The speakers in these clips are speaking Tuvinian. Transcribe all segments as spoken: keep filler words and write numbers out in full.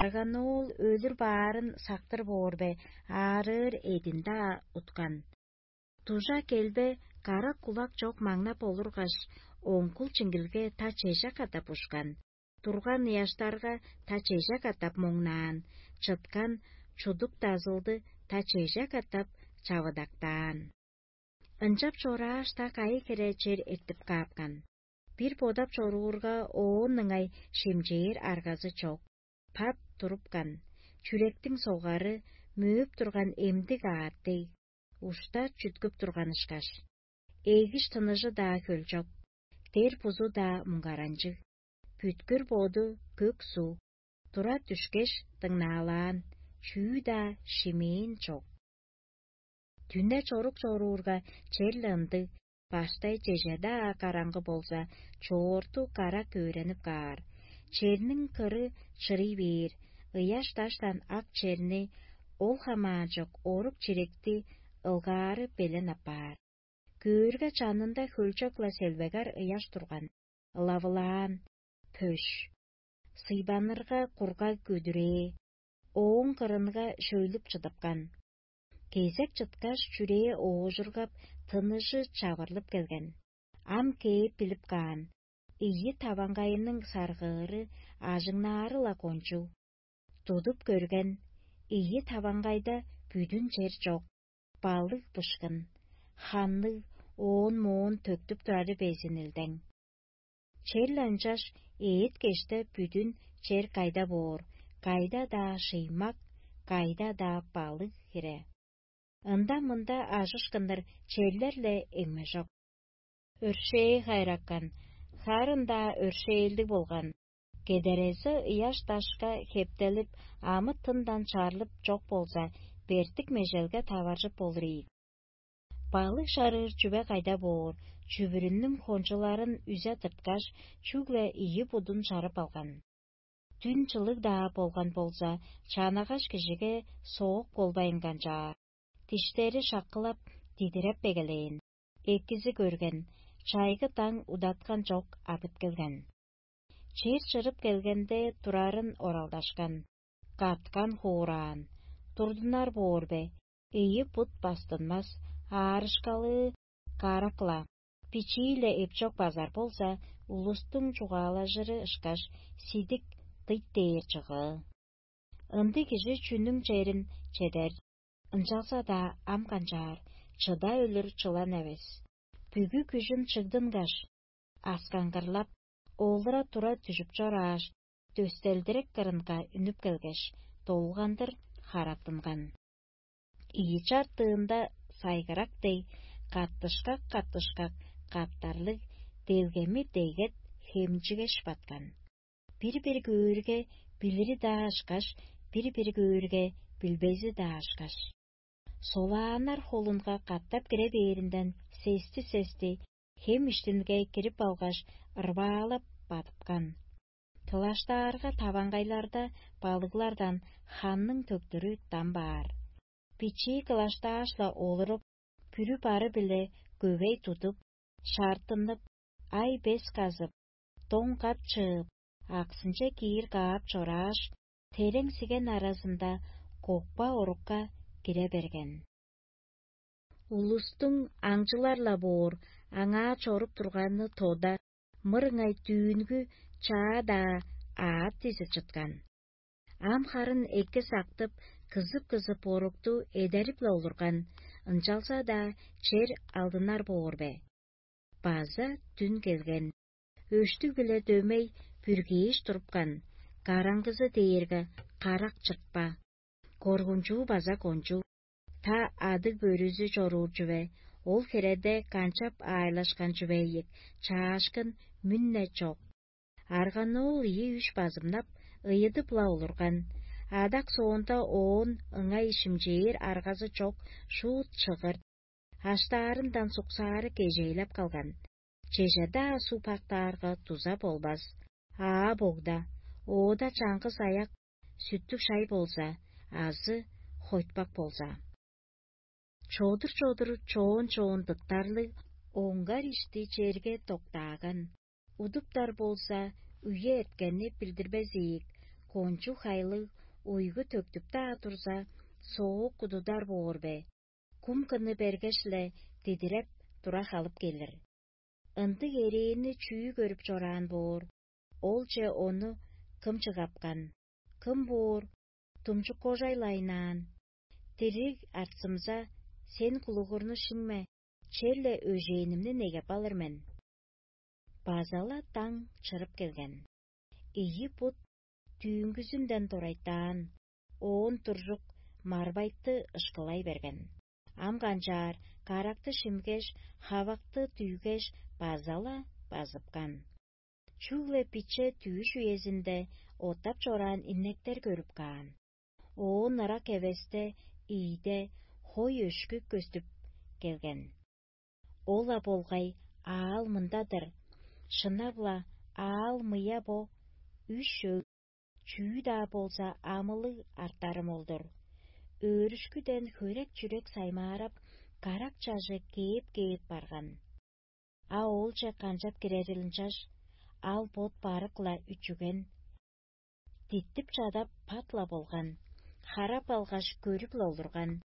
Арган оол өлүр баарын сактыр боор бе, аарыыр эдин-даа уткан. Дужа келбе, карак кулак чок маңнап олургаш, оңгул чиңгилге та чеже катап ушкан, турган ыяштарга та чеже катап моңнаан, чыткан чудук дазылды та чеже катап чавыдактаан. Ынчап чорааш, та кайы хире чер эртип каапкан. Бир бодап чоруурга, оон ыңай шимчээр аргазы чок. Пат турупкан, чүректиң согары мөөп турган эмдиг аът дег, ушта чүткүп турган ышкаш. Эгиш тыныжы-даа хөлчок, дер бузу-даа муңгаранчыг, бүткүр боду көк суу, тура дүшкеш, дыңнаалаан, чүү-даа шимээн чок. Дүне чорук чоруурга, черле ындыг, баштай чеже-даа караңгы болза, чоорту карак өөренип каар. Черниң кыры чырый бээр, ыяш даштан ак черни ол хамаанчок орук чиректи ылгаары белен апаар. Көөрге, чанында хөлчок-ла селбегер ыяш турган, ылавылаан, пөш. Сыйбанырга кургаг көдүрээ, ооң кырынга шөйлүп чыдыпкан. Кезек чыткаш, чүрээ оожургап, тыныжы чавырлып келген. Ам кээп билип каан, ийи таваңгайының саргыыры ажыңнаары-ла кончуг. Тудуп көрген, ийи таваңгайда бүдүн чер чок, балыг бышкын, ханныг, оон-моон төктүп турары безин илдең. Черле ынчаш эът-кеште бүдүн чер кайда боор, кайда-даа шыймак, кайда-даа балыг хире. Ында-мында ажышкыннар черлер-ле эңмежок. Өршээ хайраккан, харын-даа өршээлдиг болган, кедерези ыяш-дашка хептелип, амы-тындан чарлып чок болза, бертик межелге таваржып болур ийик. Балыг шарыыр чүве кайда боор, чүвүрүннүң хончуларын үзе тырткаш, чүгле ийи будун чарып алган. Дүн чылыг-даа болган болза, чанагаш кижиге соок болбайн канчаар, диштери шаккылап, дидиреп эгелээн. Экизи көрген, чайгы даң удаткан чок адып келген. Чер чырып келгенде, турарын оралдашкан, каткан, хуораан. Турдунар боор бе? Ийи бут бастынмас, аарышкалыы карак-ла, бичии-ле эпчок базар болза, улустуң чугаалажыры ышкаш, сидик дыйт дээр чыгыы. Ындыг кижи чүнүң черин чедер, ынчалза-даа ам канчаар, чыда өлүр чылан эвес. Бүгү күжүн чыгдынгаш, аскаңгырлап, олура-тура дүжүп чорааш, дөстелдирек кырынга үнүп келгеш, долгандыр хараттынган. Ийи чартыында сайгырак дег, каттышкак-каттышкак каптарлыг, делгеми дегет хемчигеш баткан. Бир-бир көөрге, билири-даа ышкаш, бир-бир көөрге, билбези-даа ышкаш. Солааннар холунга катап кире бээринден, сести-сести хем иштинге кирип алгаш, ырбаалап бадыпкан. Кылаштаарга, таваңгайларда балыглардан ханның төктүрү дам баар. Бичии кылаштааш-ла олуруп, бүрү-бары-биле көвей тудуп, шаартынып, ай-бес казып, доң кап чыып, аксынче киир каап чорааш, терең сиген аразында кокпа орукка кире берген. Улустуң аңчылар-ла боор, аңаа чоруп турганы тода, мырыңай дүүнгү чаа-даа аът дизе чыткан. Ам харын эки сактып, кызып-кызып орукту эдерип-ле олурган, ынчалза-даа чер алдынар боор бе? База дүн келген, өштүг-биле дөмей бүргээш турупкан, караңгызы дээрге карак чыртпа, коргунчуу база кончуг. Та адыг-бөрүзү чоруур чүве, ол хиреде канчап аайлашкан чүве ийик, чаашкын мүн-не чок. Арган-оол ийи-үш базымнап, ыйыдып-ла олурган. Адак соонда оон ыңай шимчээр аргазы чок шуут чыгыр, аштаарындан суксаары кежээлеп калган. Чеже-даа суп актаарга дуза болбас. Аа богда, оода чаңгыс аяк сүттүг шай болза, азы хойтпак болза. Чодур-чодур, чоон-чоон дыктарлыг, оңгар ишти черге доктааган. Удуптар болза, үе эрткенни билдирбес ийик, Кончуг хайлыг уйгу төктүп-даа турза, соок кудудар боор бе? Кум кыны бергеш-ле дидиреп тура халып келир. Ындыг эрээнни чүү көрүп чораан боор? Олче ону кым чыгапкан? Кым боор, думчуккожай-ла айнаан? Дириг арцымза, сен кулугурну шиңме, черле өжээнимни негеп алыр мен. База-ла даң чырып келген. Ийи бут дүүнгүзүнден дорайтаан, оон туржук марбайты ышкылай берген. Ам канчаар каракты шимгеш, хавакты дүйгеш, база-ла базыпкан. Чүгле биче дүъш үезинде оттап чораан иннектер көрүп каан. Оон ырак эвесте ийде хой өшкү көстүп келген. Ол-ла болгай аал мында-дыр. Шынап-ла, аал мыя бо, үш өг, чүү-даа болза амылыг артарым ол-дур. Өөрүшкүден хөрек-чүрек саймаарап, карак чажы кээп-кээп барган. А оолче канчап кирерил ынчаш, ал бот барык-ла үчүген. Диттип чадап пат-ла болган, харап алгаш көрүп-ла олурган.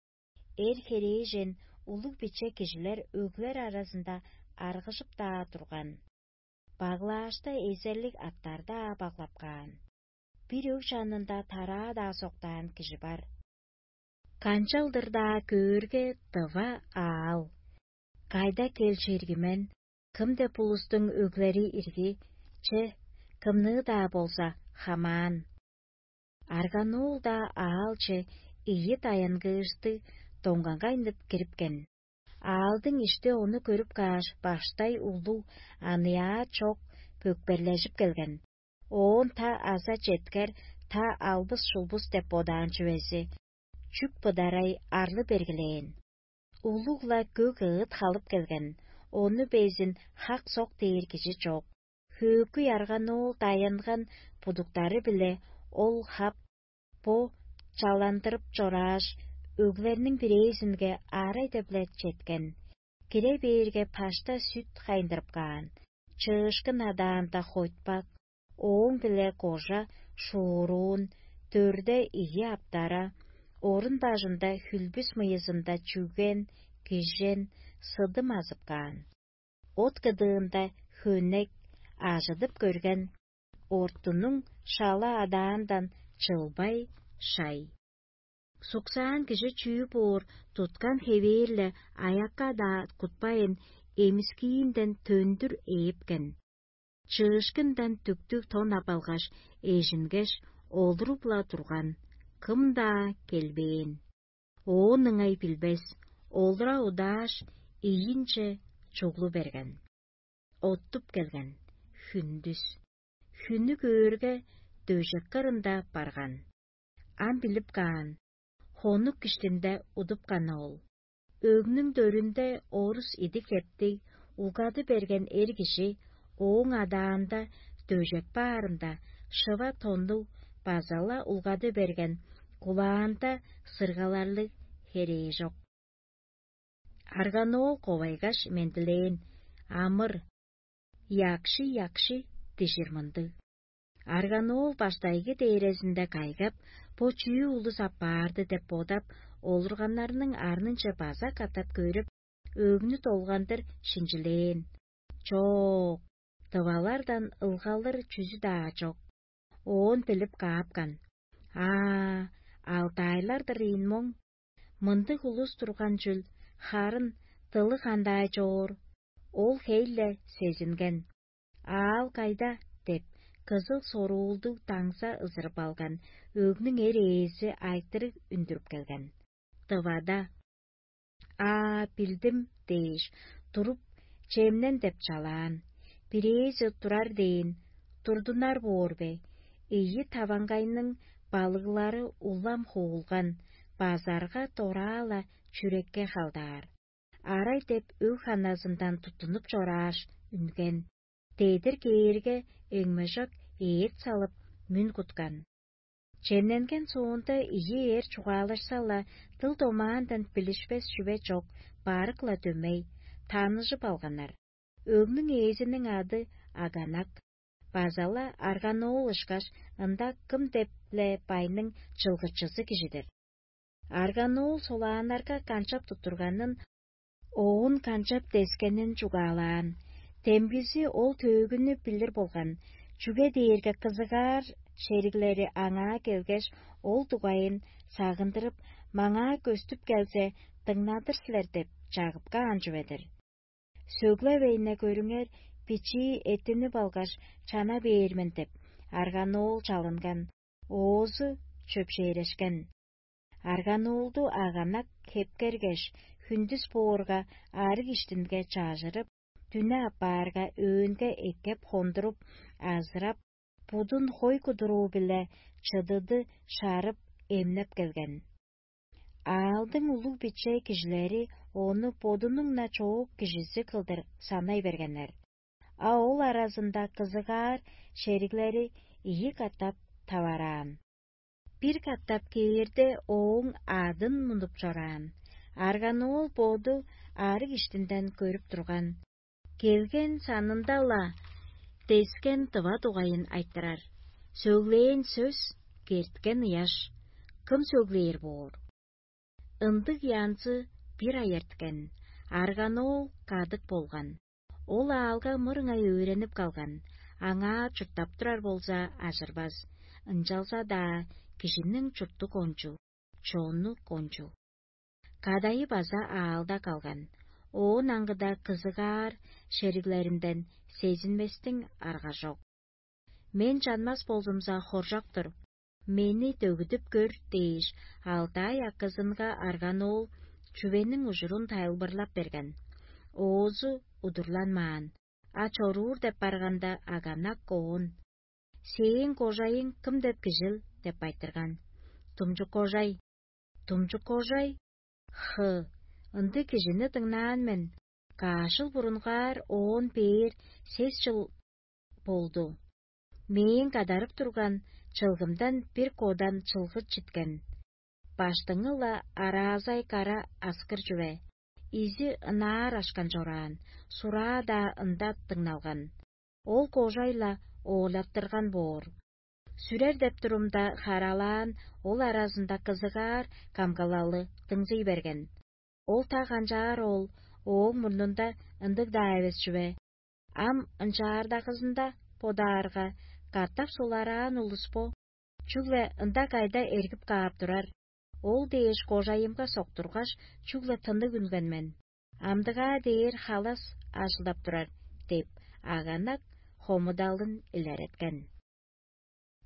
Эр херээжен улуг биче кижилер өглер аразында аргыжып-даа турган. Баглаашта эзерлиг аттар-даа баглап каан. Бир өг чанында тараа-даа соктаан кижи бар. Канчалдыр-даа көөрге, тыва аал. Кайда кел чергимен, кым деп улустуң өглери ирги, че, кымныы-даа болза хамаан. Арганоол-даа аалче ийи даянгыышты доңгагайнып кирипкен. Аалдың ишти ону көрүп кааш, баштай улуг, аныяа чок пөкперлежип келген. Оон та аза четкер, та албыс-шулбус деп бодаан чүвези, чүк быдарай арлы бергилээн. Улуг-ла көк ыыт халып келген, ону безин хак-сок дээр кижи чок. Хөөкүй арганоол даянган будуктары-биле ол хап, бо чаландырып чорааш, өглерниң бирээзинге аарай-дебле четкен. Кире бээрге, пашта сүт хайындырып каан, чыышкын адаанда хойтпак, ооң-биле кожа шууруун, дөрде ийи аптара, орун бажында хүлбүс мыйызында чүген, кижен, сыдым азып каан. От кыдыында хөнек, ажыдып көрген, ортунуң шала адаандан чылбай шай. Суксаан кижи чүү боор, туткан хевээр-ле аякка-даа кутпайн, эмискиинден төндүр ээпкен. Чыышкындан дүктүг тон ап алгаш, эжингеш, олуруп-ла турган, кым-даа келбээн. Оон ыңай билбес, олура удааш, ийинче чуглу берген. Оттуп келген, хүндүс. Хүннү көөрге, дөжек кырында барган. Ам билип каан, хонук киштинде удупкан ол. Өгнүң дөрүнде орус идик-хептиг, угады берген эр кижи ооң адаанда дөжек баарында, шыва тоннуг база-ла улгады берген, кулаанда сыргаларлыг херээжок. Арганоол ковайгаш мендилээн: «Амыр, якши-якши» дижир мындыг. Арганоол баштайгы дээрезинде кайгап, бо чүү улус аппаарды деп бодап, олурганнарның арнынче база катап көрүп, өгнү долгандыр шинчилээн. Чок, тывалардан ылгалыр чүзү-даа чок. Оон билип каапкан: «Аа, алтайлар-дыр ийин моң. Мындыг улус турган чүл, харын дылы кандай чоор, ол хей-ле сезинген. Аал кайда?» — деп, кызыл соруулдуг даңза ызырып алган, өгнүң эр ээзи айтырыг үндүрүп келген. Тывада. «Аа, билдим» — дээш, туруп, чемнен деп чалаан. Бирээзи турар дээн, турдунар боор бе? Ийи таваңгайның балыглары улам хуулган, базарга дораа-ла чүрекке халдаар. Арай деп өг ханазындан туттунуп чорааш, үнген. Дедир кээрге, эңмежок ээт салып, мүн куткан. Чемненген соонда ийи эр чугаалашса-ла, дыл-домаандан билишпес чүве чок, барык-ла дөмей, таныжып алганнар. Өгнүң ээзиниң ады Аганак. База-ла Арганоол ышкаш ында кым деп-ле байның чылгычызы кижи-дир. Арганоол солааннарга канчап туттурганын, оон канчап дескенин чугаалаан. Демгизи ол төөгүнү билир болган, чүге дээрге кызыгаар шериглери аңаа келгеш, ол дугайын сагындырып, маңаа көстүп келзе, дыңнадыр силер деп чагып каан чүве-дир. Сөглевейне көрүңер, бичии эттинип алгаш, чана бээр мен деп, арганоол чалынган, оозу чөпшээрешкен. Арганоолду аганак хепкергеш, хүндүс боорга арыг иштинге чаажырып, дүне аппаарга өөнге эккеп хондуруп, азырап, будун хой кудуруу-биле чыдыды шарып, эмнеп келген. Аалдың улуг-биче кижилери ону бодунуң-на чоок кижизи кылдыр санай бергеннер, а ол аразында кызыгаар шериглери ийи катап тавараан. Бир катап кээрде, ооң адын мунуп чораан. Арганоол боду арыг иштинден көрүп турган. Келген санында-ла дескен дыва дугайын айтырар. Сөглээн сөс керткен ыяш. Кым сөглээр боор? Ындыг янзы бир ай эрткен, арганоол кадык болган. Ол аалга мырыңай өөренип калган, аңаа чурттап турар болза, ажырбас, ынчалза-даа кижиниң чурту кончуг, чону кончуг. Кадайы база аалда калган, оон аңгыда кызыгаар шериглеринден сезинместиң арга чок. Мен чанмас болзумза, хоржок-тур, мени дөгүдүп көр дээш, алдаай акызынга арганоол чүвениң ужурун тайылбырлап берген. Оозу удурланмаан, а чоруур деп барганда, аганак оон: «Сээң кожайың кым деп кижил?» — деп айтырган. «Тумчук кожай». «Тумчук кожай? Хы, ындыг кижини дыңнаан мен. Каашыл бурунгаар оон бээр сес чыл болду. Мээң кадарып турган чылгымдан бир кодан чылгы читкен. Баштыңы-ла араазай кара аскыр чүве. Изи ынаар ашкан чораан, сураа-даа ында дыңналган. Ол кожай-ла оолаттырган боор. Сүрер деп турумда, харалаан ол аразында кызыгаар камгалалы дыңзый берген. Ол та канчаар ол, ооң мурнунда ындыг-даа эвес чүве. Ам ынчаардагызында бодаарга, катап сулараан улус бо, чүгле ында кайда эргип каап турар. Ол дээш кожайымга соктургаш, чүгле тынныг үнген мен. Амдыгаа дээр халас ажылдап турар» — деп, аганак хомудалын илереткен.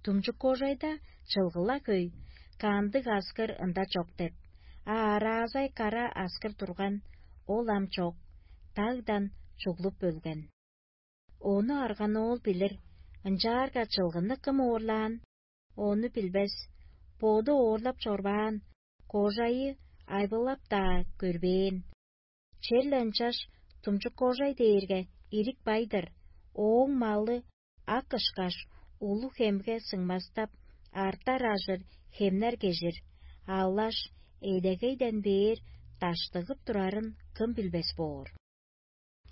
Тумчук кожайда чылгыла хөй, кандыг аскыр ында чок деп, а араазай кара аскыр турган, ол ам чок, дагдан чуглуп өлген. Ону арганоол билир, ынчаарга чылгыны кым оорлаан, ону билбес, боду оорлап чорбаан, кожайы айбылап-даа көрбээн. Черле ынчаш тумчук кожай дээрге ирик бай-дыр, ооң малы ак ышкаш, улуг хемге сыңмастап, артар ажыр хемнер кежир, аллаш эдегейден бээр даштыгып турарын кым билбес боор.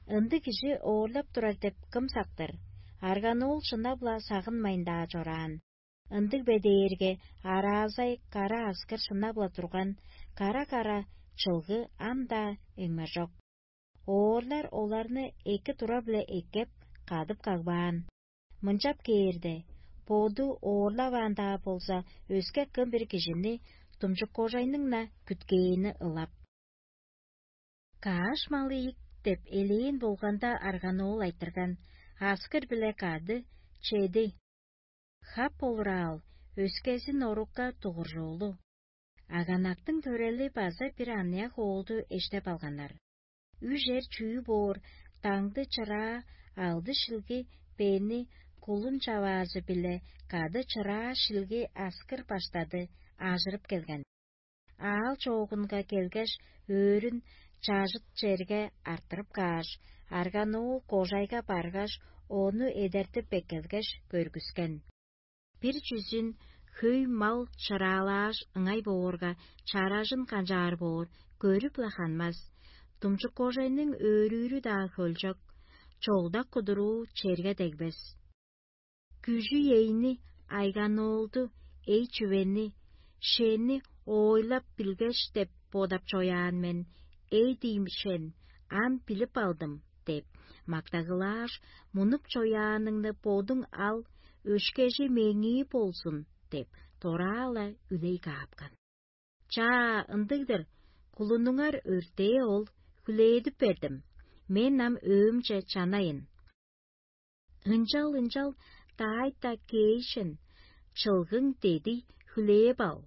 Ындыг кижи оорлап турар деп кым сактыр? Арганоол шынап-ла сагынмайн-даа чораан. Ындыг бе дээрге, араазай кара аскыр шынап-ла турган, кара-кара чылгы ам-даа эңмежок. Оорлар оларны эки тура-биле эккеп, кадып кагбаан. Мынчап кээрде, боду оорлаваан-даа болза, өске кым-бир кижини тумчук кожайның-на күткээни ылап. «Кааш малы ийик» деп элээн болганда, арганоол айтырган: «Аскыр-биле кады чеди. Хап болураал, өскезин орукка дугуржоолу». Аганактың төрели база бир аныяк оолду эштеп алганнар. Үжер чүү боор, даңды чыраа алды шилги бени кулун чаваазы-биле кады чыраа шилги аскыр баштады ажырып келген. Аал чоогунга келгеш, өөрүн чажыт черге арттырып кааш, арганоол кожайга баргаш, ону эдертип эккелгеш, көргүскен. Бир чүзүн хөй мал чыраалааш ыңай боорга, чаражын канчаар боор, көрүп-ла ханмас. Тумчук кожайның өөрүүрү-даа хөлчок, чогдак кудуруу черге дегбес. Күжү-ейни, айганоолду, эй чүвени, шени ойлап билгеш деп бодап чояан мен, эй дийим шен, ам билип алдым деп, мактагылааш, мунуп чояаныңны бодуң ал, өшкежи меңии болзун деп, дораала үлей каапкан. Чаа, ындыг-дыр, кулунуңар өртээ ол, хүлээдип бердим, мен ам өөмче чанайын. Ынчал-ынчал даайта кээшен, чылгың дедий хүлээп ал.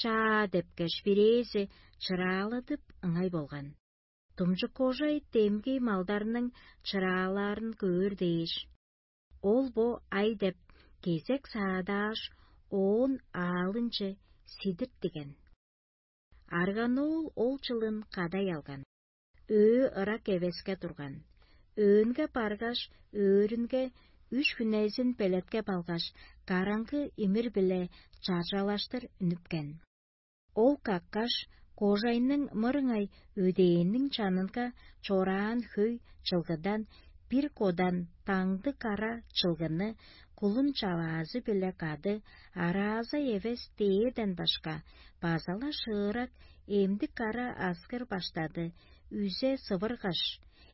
Чаа депкеш, бирээзи чырааладып ыңай болган. Думчук кожай демги малдарның чыраалаарын көөр дээш, ол бо ай деп кезек саадааш, оон аалынче сидиртиген. Арганоол ол чылын кадай алган. Өө ырак эвеске турган. Өөнге баргаш, өөрүнге үш хүнезин белеткеп алгаш, караңгы имир-биле чаржалаштыр үнүпкен. Ол каккаш, кожайның мырыңай өдээнниң чанынга чораан хөй чылгыдан бир кодан таңды кара чылгыны кулун чаваазы-биле кады араазай эвес дээрден башка, база-ла шыырак эмдик кара аскыр баштады, үзе сывыргаш,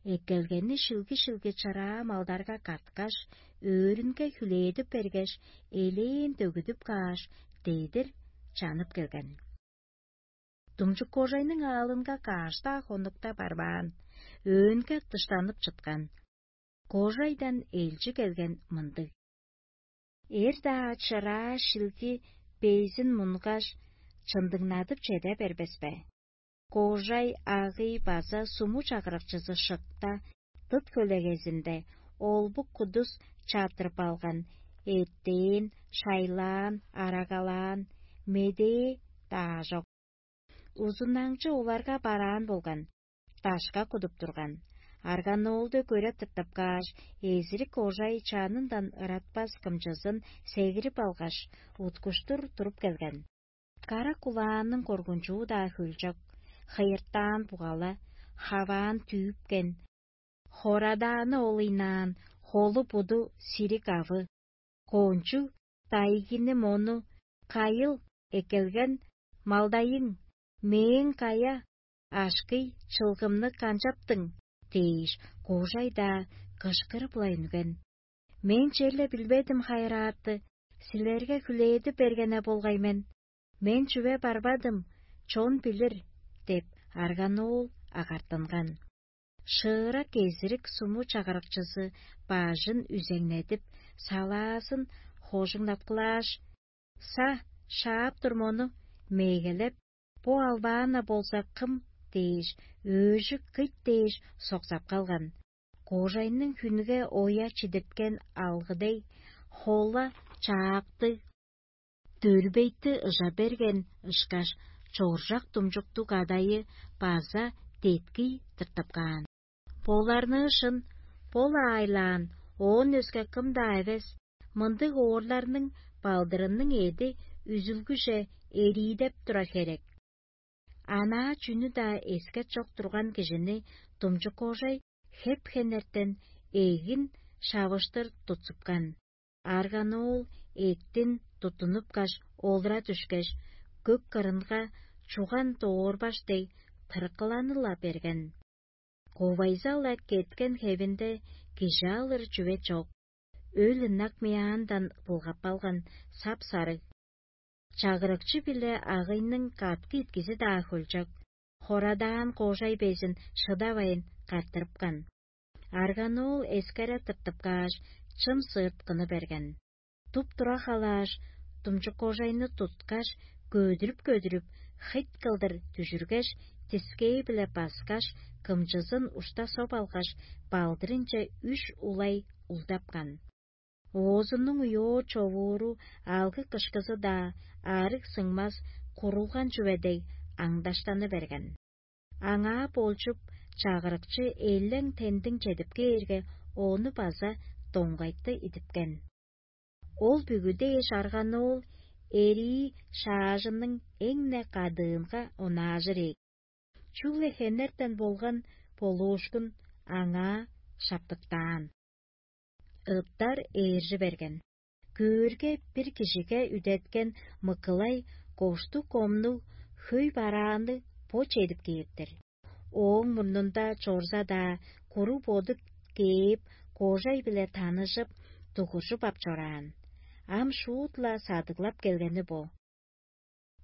эккелгени шилги-шилги чыраа малдарга каткаш, өөрүнге хүлээдип бергеш, элээн дөгүдүп кааш, дедир чанып келген. Думчук кожайның аалынга каш-даа хонукта барбаан, өөнге дыштанып чыткан. Кожайдан элчи келген мындыг: «Эр-даа чыраа шилги безин мунгаш, чындыңнадып чеде бербес бе? Кожай агый база суму чагырыкчызы шыкта, дыт хөлегезинде олбук кудус чаптырып алган, эттээн, шайлаан, арагалаан, медээ-даа чок. Узунаңчы оларга бараан болган, дашка кудуп турган. Арганоолду көреп тыртып кааш, эзирик кожай чанындан ыратпас кымчызын сегирип алгаш, уткуштур туруп келген. Кара кулааның коргунчуу-даа хөлчок, хыйыртаан бугала, хаваан түүпкен, хорадааны ол ыйнаан, холу-буду сириг авы, коончуг дайгини мону, кайыл эккелген малдайың, мээң кая ашкый чылгымны канчаптың?» – дээш, кожай-даа кышкырып-ла үнген. «Мен черле билбедим, хайырааты, силерге хүлээдип бергене болгай мен. Мен чүве барбадым, чон билир» – деп, арганоол агартынган. Шыырак эзирик суму чагырыкчызы бажын үзеңнедип, салаазын хожуңнаткылааш: «Са, шаап тур мону, мегелеп, бо албаан-на болза кым?» – дээш, өөжүк кыйт дээш соксап калган. Кожайның хүнге оя чидирткен алгы дег, хола чаактыг, дөрбейти ыжа берген ышкаш, чоржак думчуктуг адайы база деткий тыртып каан. Боларныы шын, бо-ла аайлаан, оон өске кым-даа эвес, мындыг оорларның балдырының эъди үзүлгүже эриидеп турар херек. Анаа чүнү-даа эскер чок турган кижини думчук кожай хеп-хенертен эгин шавыштыр тутсупкан. Арганоол эъттин туттунупкаш, олура дүшкеш, көк кырынга чуган доорбаш дег тырыкыланы-ла берген. Ковайза-ла кеткен хевинде кижи алыр чүве чок. Өл ынак мыяандан булгап алган сап-сарыг. Чагырыкчы биле агыйның каткы иткизи-даа хөлчок, хорадаан кожай безин шыдавайн картырыпкан. Арганоол эскере тыртып кааш, чым сыырткыны берген. Туп-тура халааш, думчук кожайны туткаш, көдүрүп-көдүрүп, хыйт кылдыр дүжүргеш, тискээ-биле баскаш, кымчызын ушта соп алгаш, балдырынче үш улай улдапкан. Оозунуң уйоо човууру алгы-кышкызы-даа арыг сыңмас курулган чүве дег аңдаштаны берген. Аңаа болчуп, чагырыкчы элең-тендиң чедип кээрге, ону база доңгайтты идипкен. Ол бүгү дээш арган оол эрии шаажының эң-не кадыынга онаажыр ийик. Чүгле хенертен болган болуушкун аңаа шаптыктаан. Ыттар ээржи берген. Көөрге, бир кижиге үдеткен мыкылай коштуг комнуг хөй барааны бо чедип кээптер. Ооң мурнунда чорза-даа, куруг боду кээп, кожай-биле таныжып, дугуржуп ап чораан. Ам шуут-ла садыглап келгени бо.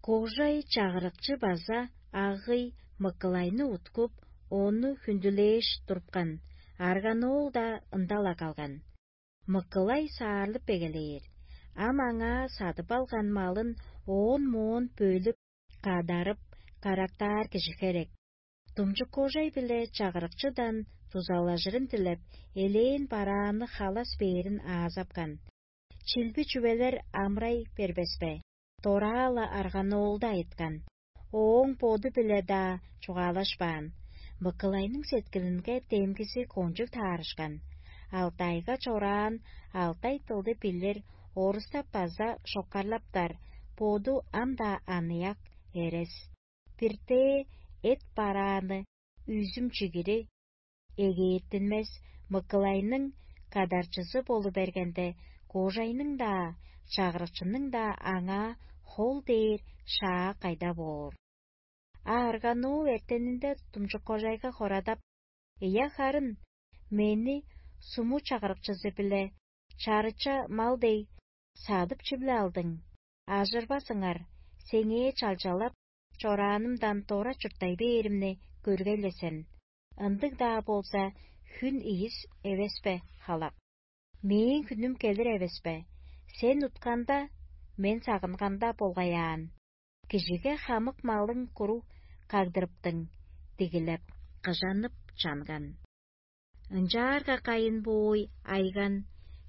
Кожай чагырыкчы база агый мыкылайны уткуп, ону хүндүлээш турупкан, арганоол-даа ында-ла калган. Мыкылай саарлып эгелээр. Ам аңаа садып алган малын оон-моон бөлүп, кадарып, карактаар кижи херек. Думчук кожай-биле чагырыкчыдан дузалажырын дилеп, элээн барааны халас бээрин аазапкан. Чилби чүвелер амырай бербес бе? Дораа-ла арганоолду айыткан. Ооң боду-биле-даа чугаалашпаан. Мыкылайның сеткилинге демгизи кончуг таарышкан. Алтайга чораан, алтай дылды билир, орустап база шоккарлаптар, боду ам-даа аныяк, эрес. Биртээ эт барааны, үзүм-чигири эгээртинмес, мыкылайның кадарчызы болу бергенде, кожайның-даа, чагырыкчының-даа аңаа хол дээр шаа кайда боор? А арганоол эртенинде думчуккожайга хорадап: «Ийе, харын, мени суму чагырыкчызы-биле чарыча мал дег садып чип-ле алдың. Ажырбас ыңар, сеңээ чалчалап чораанымдан дора чурттай бээримни көргей-ле сен. Ындыг-даа болза, хүн ийис эвес бе, халак? Мээң хүнүм келир эвес бе? Сен утканда, мен сагынганда болгай аан. Кижиге хамык малың куруг кагдырыптың», — дигилеп, кыжанып чанган. «Ынчаарга кайын боой, айган,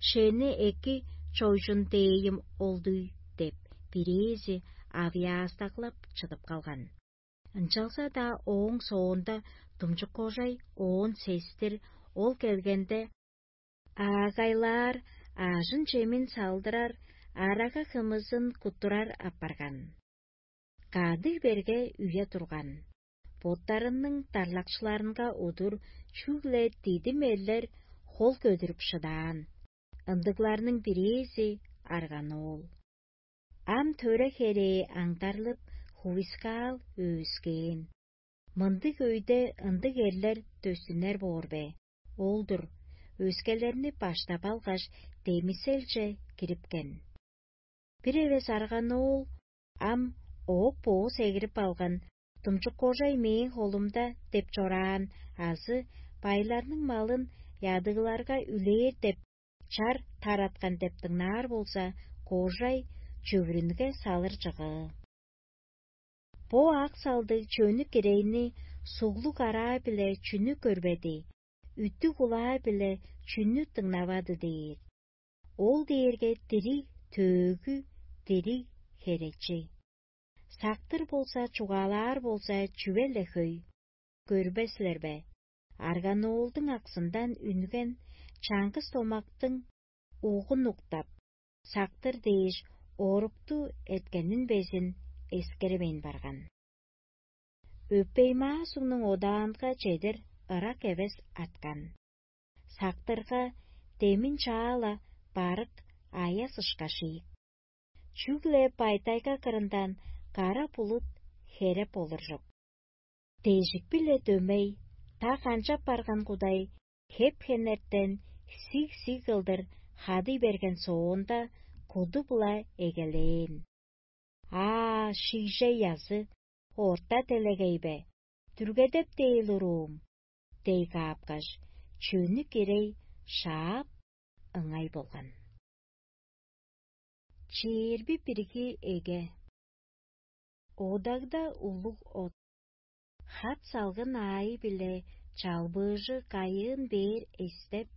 шени эки чойжун дээйим олдуй?» — деп, бирээзи авыяастаглап чыдып калган. Ынчалза-даа ооң соонда думчук кожай оон сестир, ол келгенде, аагайлаар, аажын-чемин салдырар, арага-хымызын куттурар апарган. Кады берге үе турган. Боттарының дарлакчыларынга удур чүгле дидим эрлер хол көдүрүп шыдаан. Ындыгларның бирээзи арганоол. Ам төре херээ аңдарлып, хувискаал өөскээн. Мындыг өйде ындыг эрлер дөстүнер боор бе? Ол-дур, өскелерни баштап алгаш, демиселче кирипкен. Бир эвес арганоол ам оок-бооз эгирип алган, думчук кожай мээң холумда деп чораан азы байларның малын ядыгларга үлээр деп чар тараткан деп дыңнаар болза, кожай чөвүрүнге салыр чыгыы. Бо ак салдыг чөнүк кирейни суглуг араа-биле чүнү көрбеди, үттүг улаа-биле чүнү дыңнавады дээр. Ол дээрге дириг төөгү, дириг херечи. Сактыр болза, чугаалаар болза, чүве-ле хөй. Көрбес силер бе? Арганоолдуң аксындан үнген чаңгыс томактың угун уктап, сактыр дээш, орукту эткенин безин эскеремейн барган. Өпей-маа сугнуң одаанга чедир ырак эвес аткан. Сактырга демин чаала барык аяс ышкаш ийик. Чүгле бай-тайга кырындан кара булут хереп олуржук. Дежик-биле дөмей, та канчап барган кудай хеп-хенертен сиг-сиг кылдыр хадый берген соонда куду-була эгелээн. «Аа, шигжей язы, орта делегей бе, дүргедеп дээр уруум?» — дей каапкаш, чөнү кирей шаап, ыңай болган. Чээрби бирги эге. Одагда улуг от. Хат салгын аайы-биле чалбыыжы кайыын бээр эстеп,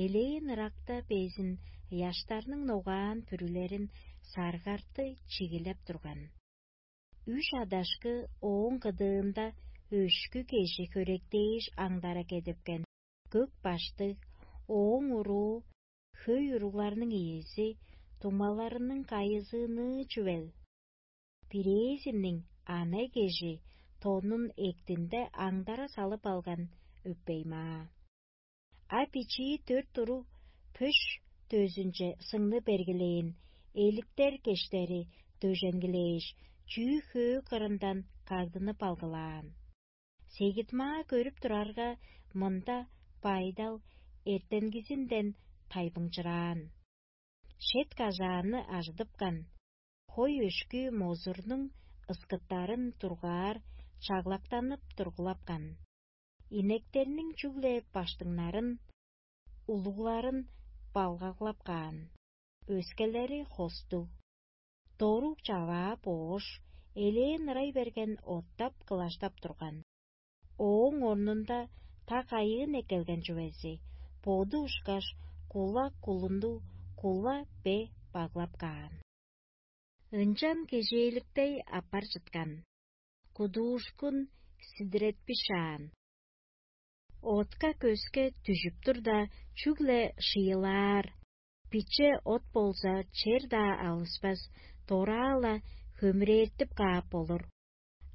элээн ыракта безин ыяштарның ногаан бүрүлерин саргартты чигилеп турган. Үш адашкы ооң кыдыында өшкү кежи хөректээш аңдара кедипкен көк баштыг, ооң уруу хөй уругларның иези, дуңмаларының кайызыыныы чүвел. Бирээзиниң ана кежи тонун эктинде аңдара салып алган өпей-маа. А бичии дөрт уруг пөш дөзүнче сыңны бергилээн, эликтер кештери дөженгилээш, чүү-хөө кырындан кагдынып алгылаан. Сегит-маа көрүп турарга, мында байдал эртенгизинден тайбыңчыраан. Шет кажааны ажыдыпкан, хой өшкү мозурнуң ыскыттарын тургаар чаглактанып тургулапкан. Инектерниң чүгле баштыңнарын, улугларын балгаглап каан, өскелери хостуг. Доруг чаваа боош, элээн ырай берген оттап кылаштап турган. Ооң орнунда та кайыын эккелген чүвези, боду ушкаш, кула кулунду кула бе баглап каан. Ынчан кежээликтей аппар чыткан, кудуушкун сидиретпишаан. Отка-көске дүжүп турда, чүгле шыйылаар, биче от болза, чер-даа алыспас, дораа-ла хөмүрээртип каап болур.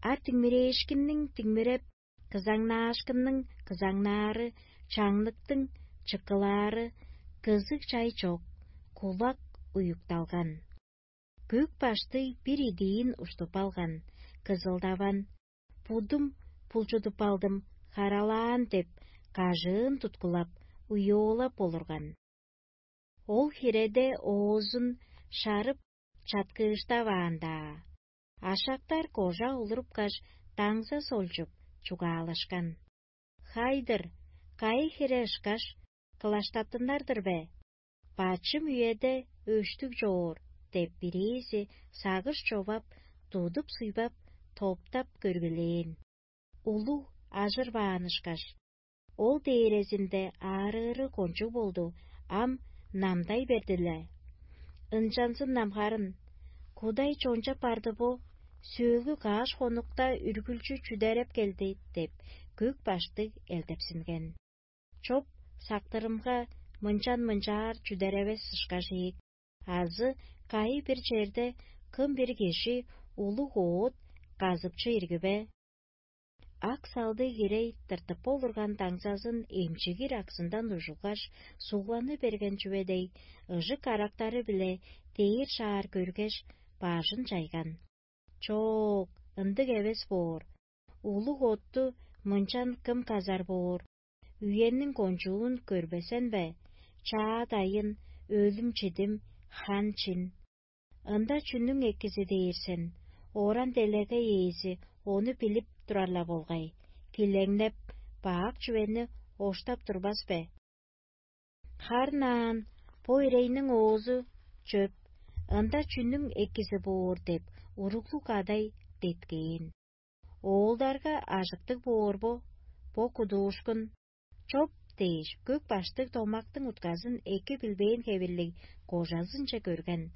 А диңмирээшкинниң диңмиреп, кызаңнаашкынның кызаңнаары, чаңныктың чыккылаары, кызыг чай чок, кулак уюкталган. Көк баштыг бир идиин уштуп алган, кызылдаван: «Будум булчудуп алдым, харалаан» — деп, кажыын туткулап, уйоолап олурган. Ол хиреде оозун шарып чаткыыштаваан-даа. Ашактар кожа олурупкаш, даңза солчуп, чугаалашкан: «Хай-дыр, кайы хире ышкаш, кылаштаттынар-дыр бе? Бачым үеде өштүг чоор» — деп, бирээзи сагыш човап, тудуп-суйбап, топтап көргүлээн. Улуг ажырбаан ышкаш. Ол дээрезинде аарыыры кончуг болду, ам намдай берди-ле. «Ынчанзын-на харын, кудай чончап барды бо, сөөлгү каш хонукта үргүлчү чүдереп келди» — деп, көк баштыг элдепсинген. Чоп сактырымга мынчан-мынчаар чүдеревес ышкаш ийик, азы кайы-бир черде кым-бир кижи улуг оът казыпчы ирги бе? Ак салдыг ирей тыртып болурган даңзазын эмчигир аксындан ужулгаш, сугланы берген чүве дег, ыжык карактары-биле дээр шаар көргеш, бажын чайган: «Чок, ындыг эвес боор. Улуг отту мынчан кым казар боор? Үениң кончуун көрбесен бе? Чаа дайын, өлүм-чидим, хан-чин. Ында чүнүң экизи дээр сен? Оран-делегей ээзи ону билип турар-ла болгай, килеңнеп, бак чүвени оштап турбас бе? Харын аан, бо ирейниң оозу чөп, ында чүнүң экизи боор?» — деп, уруглуг кадай деткээн. «Оолдарга ажыктыг боор бо, бо кудуушкун». «Чоп» — дээш, көк баштыг домактың утказын эки билбээн хевирлиг кожазынче көрген.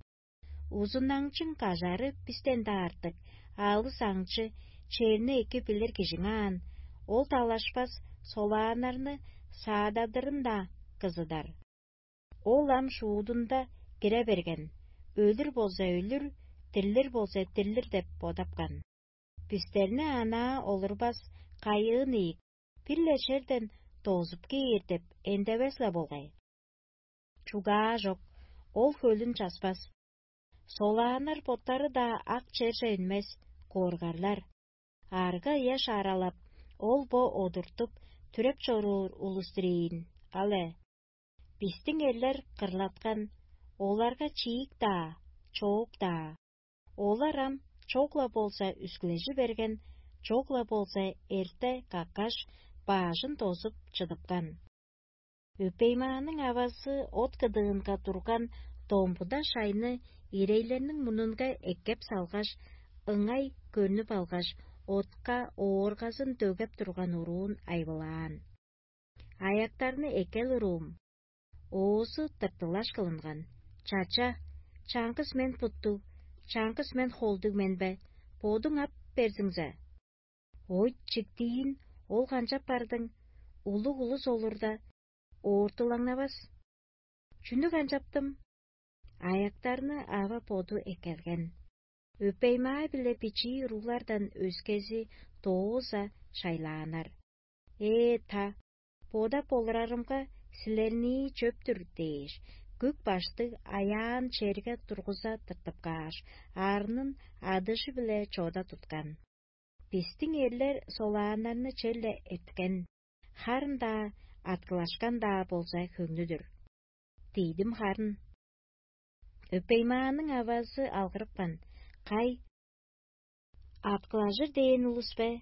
«Узунаңчың кажары бистен-даа артык, алыс аңчы, черни эки билир кижиң аан, ол далашпас, солааннарны саададырын-даа кызыдар. Ол ам шуудунда кире берген: „Өлүр болза өлүр, дирлир болза дирлир“ – деп бодапкан. Бистерни анаа олурбас кайыын ийик, бир-ле черден дозуп кээр деп эндевес-ле болгай. Чугаа чок, ол хөлүн часпас. Солааннар боттары-даа ак черже үнмес, коргарлар. Арга-ыя шааралап, ол-бо одуртуп, түреп чоруур улус-тур ийин, ал-е. Бистиң эрлер кырлаткан, оларга чиик-даа, чоок-даа. Олар ам чок-ла болза үскүлежи берген, чок-ла болза эрте каккаш, баажын дозуп чыдыпкан. Өпеймааның авазы от кыдыынга турган домбуда шайны ирейлерниң мурнунга эккеп салгаш, ыңай көрнүп алгаш, отка ооргазын дөгеп турган уруун айбылаан. Аяктарны эккел, уруум. Оозу тыртылаш кылынган: «Чача, чаңгыс мен буттуг, чаңгыс мен холдуг мен бе? Бодуң ап берзиңзе». «Ойт, чиктиин, ол канчап бардың? Улуг улус олурда, оортулаңнавас». «Чүнү канчаптым?» Аяктарны ава боду эккелген. Өпеймаа-биле бичии уруглардан өскези дооза шайлааннар. «Ээ, та, бодап олурарымга, силернии чөп-түр» – дээш, Күк баштыг аяан черге тургуза тыртып кааш, арнын адыжы-биле чода туткан. Бистиң эрлер солааннарны черле эрткен, харын-даа, аткылашкан-даа болза хөңнүдүр. Дидим харын. Өпеймааның авазы алгырыпкан: «Кай, аткылажыр дээн улус бе?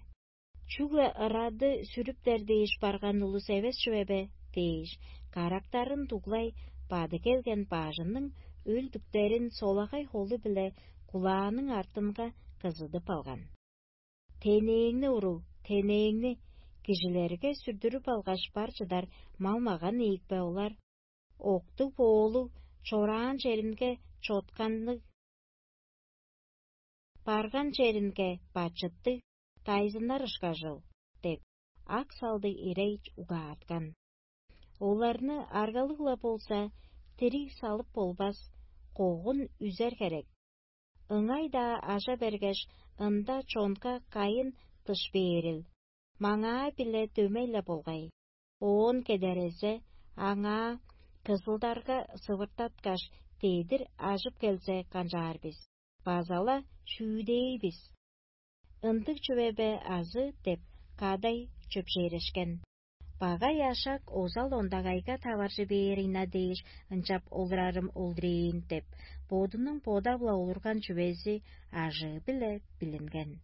Чүгле ырады сүрүптер дээш барган улус эвес чүве бе?» – дээш, карактарын дуглай бады келген бажының өлдүктерин солагай холу-биле кулааның артынга кызыдып алган. «Тенээңни, уруу, тенээңни! Кижилерге сүрдүрүп алгаш бар чыдар мал-маган ийик бе олар? Октуг-боолуг чораан черинге чотканныг, барган черинге бачыттыг дайзыннар ышкажыл» – деп, ак салдыг ирей угааткан. Оларны аргалыг-ла болза, дириг салып болбас, когун үзер херек. Ыңай-даа ажа бергеш, ында чонга кайын дыш бээрил, маңаа-биле дөмей-ле болгай. Оон кедерезе, аңаа кызылдарга сывыртаткаш, дедир ажып келзе канчаар бис? База-ла шүүдей бис. «Ындыг чүве бе азы?» – деп, кадай чөпшээрешкен. Багай ашак озал ондагайга таваржы бээр ийна дээш, ынчап олурарым олдурээн деп, бодунуң бодап-ла олурган чүвези ажыы-биле билинген.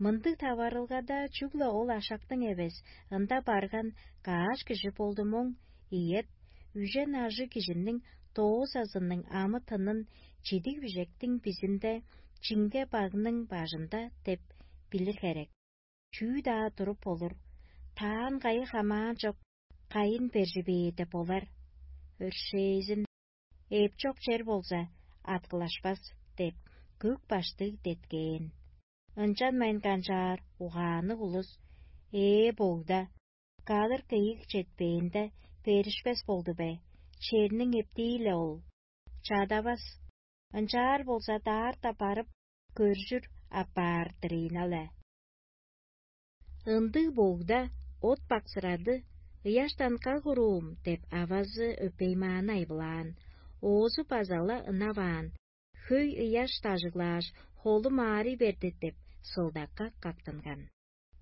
Мындыг таварылгада чүгле ол ашактың эвес, ында барган каш кижи болду моң, ийет, үжен ажыг кижиниң доозазының амы-тынын чидиг бижектиң бизинде чиңге багның бажында деп билир херек. Чүү-даа туруп болур, таан кайы хамаан чок, кайын бержи бээр деп болар. Өршээзин, эп чок чер болза, аткылашпас деп, көк баштыг деткээн. Ынчанмайн канчаар угаанныг улус: «Ээ, богда, кадыр кыйыг четпээнде, беришпес болду бе? Черниң эптии-ле ол. Чадавас. Ынчаар болза, даарта барып, көржүр апаар-дыр ийин але». Ындыг богда от баксырады: «Ыяштан каг уруум» – деп, авазы өпеймааны айбылаан. Оозу база-ла ынаваан: «Хөй ыяш дажыглааш, холум аарый берди» – деп, сылдакка кактынган.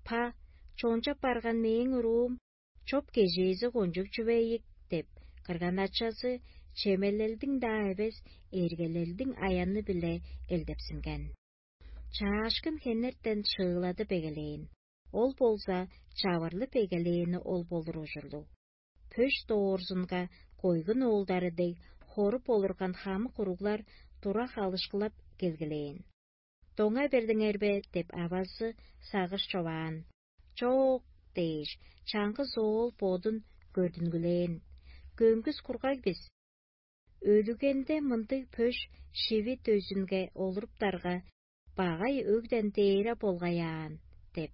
«Па, чончап барган мээң уруум, чоп-кежээзи кончуг чүве ийик» – деп, кырган-ачазы чемелелдиң-даа эвес, эргелелдиң аяны-биле элдепсинген. Чаашкын хенертен шыыладып эгелээн, ол болза чавырлып эгелээни ол болур ужурлуг. Пөш доорзунга койгун оолдары дег, хоруп олурган хамык уруглар тура халышкылап келгилээн. «Доңа бердиңер бе?» – деп, авазы сагыш човаан. «Чок» – дээш, чаңгыс оол бодун көрдүнгүлээн: «Көңгүс кургаг бис. Өлүгенде мындыг пөш шиви дөзүнге олуруптарга, багай өгден дээре болгай аан» – деп,